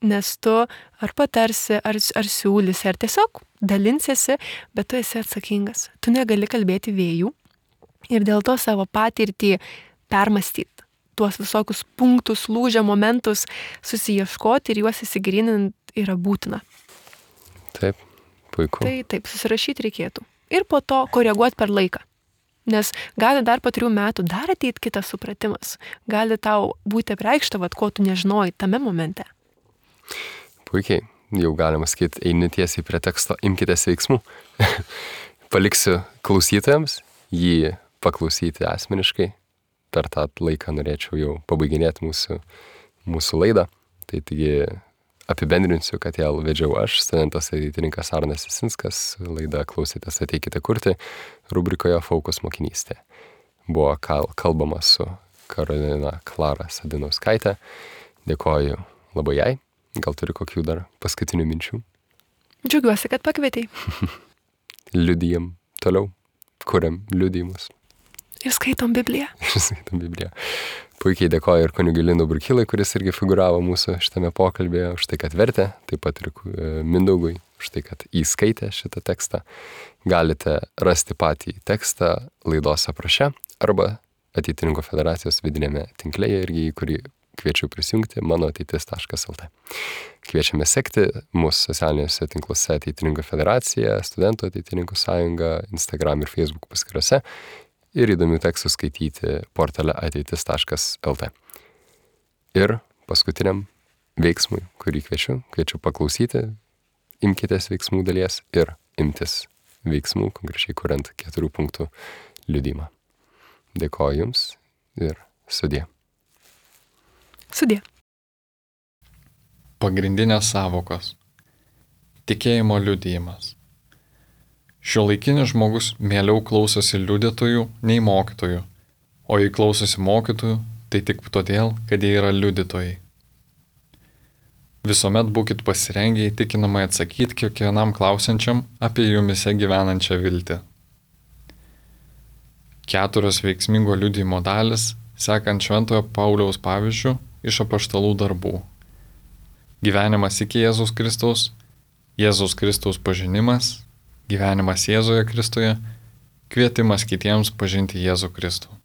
Nes tu ar patarsi, ar siūlysi, ar tiesiog dalinsiesi, bet tu esi atsakingas. Tu negali kalbėti vėjų ir dėl to savo patirtį permastyti. Tuos visokius punktus, lūžio momentus susiieškoti ir juos įsigilinant yra būtina. Taip, puiku. Tai taip, susirašyti reikėtų. Ir po to koreguoti per laiką. Nes gali dar po 3 metų dar ateit kitas supratimas. Gali tau būti apreikšta, ko tu nežinojai tame momente. Puikiai. Jau galima sakyti, eini tiesiai prie teksto, imkitės veiksmų. Paliksiu klausytojams jį paklausyti asmeniškai. Per tą laiką norėčiau jau pabaiginėti mūsų laidą. Tai taigi apibendrinsiu, kad ją vedžiau aš, studentas ateitininkas Arnas Jasinskas. Laidą klausėtės Ateikite kurti rubrikoje Fokus mokinystė. Buvo kalbama su Karolina Klara Sadinauskaitė. Dėkoju labai jai. Gal turi kokių dar paskutinių minčių? Džiaugiuosi, kad pakvietei. Liudijam toliau. Kuriam liudijimus. Ir skaitom Bibliją. Puikiai dėkoju ir kunigui Linui Burkylai, kuris irgi figuravo mūsų šitame pokalbėje, už tai, kad vertė, taip pat ir Mindaugui, už tai, kad įskaitė šitą tekstą. Galite rasti patį tekstą laidos apraše arba Ateitininkų federacijos vidinėme tinklėje, irgi į kurį kviečiu prisijungti manoateitis.lt. Kviečiame sekti mūsų socialiniuose tinkluose Ateitininkų federacija, Studentų ateitininkų sąjunga, Instagram ir Facebook paskyrose. Ir įdomių tekstų skaityti portale ateitis.lt. Ir paskutiniam veiksmui, kurį kviečiu paklausyti, imkitės veiksmų dalies ir imtis veiksmų, konkrečiai kuriant 4 punktų liudijimą. Dėkoju Jums ir sudie. Sudie. Pagrindinės savokos. Tikėjimo liudijimas. Šiuolaikinis žmogus mieliau klausosi liudytojų nei mokytojų, o jei klausosi mokytojų, tai tik todėl, kad jie yra liudytojai. Visuomet būkit pasirengę įtikinamai atsakyti kiekvienam klausiančiam apie jumise gyvenančią viltį. 4 veiksmingo liudijimo dalis, sekant Šventojo Pauliaus pavyzdžiu iš apaštalų darbų. Gyvenimas iki Jėzaus Kristaus pažinimas, gyvenimas Jėzuje Kristuje, kvietimas kitiems pažinti Jėzų Kristų.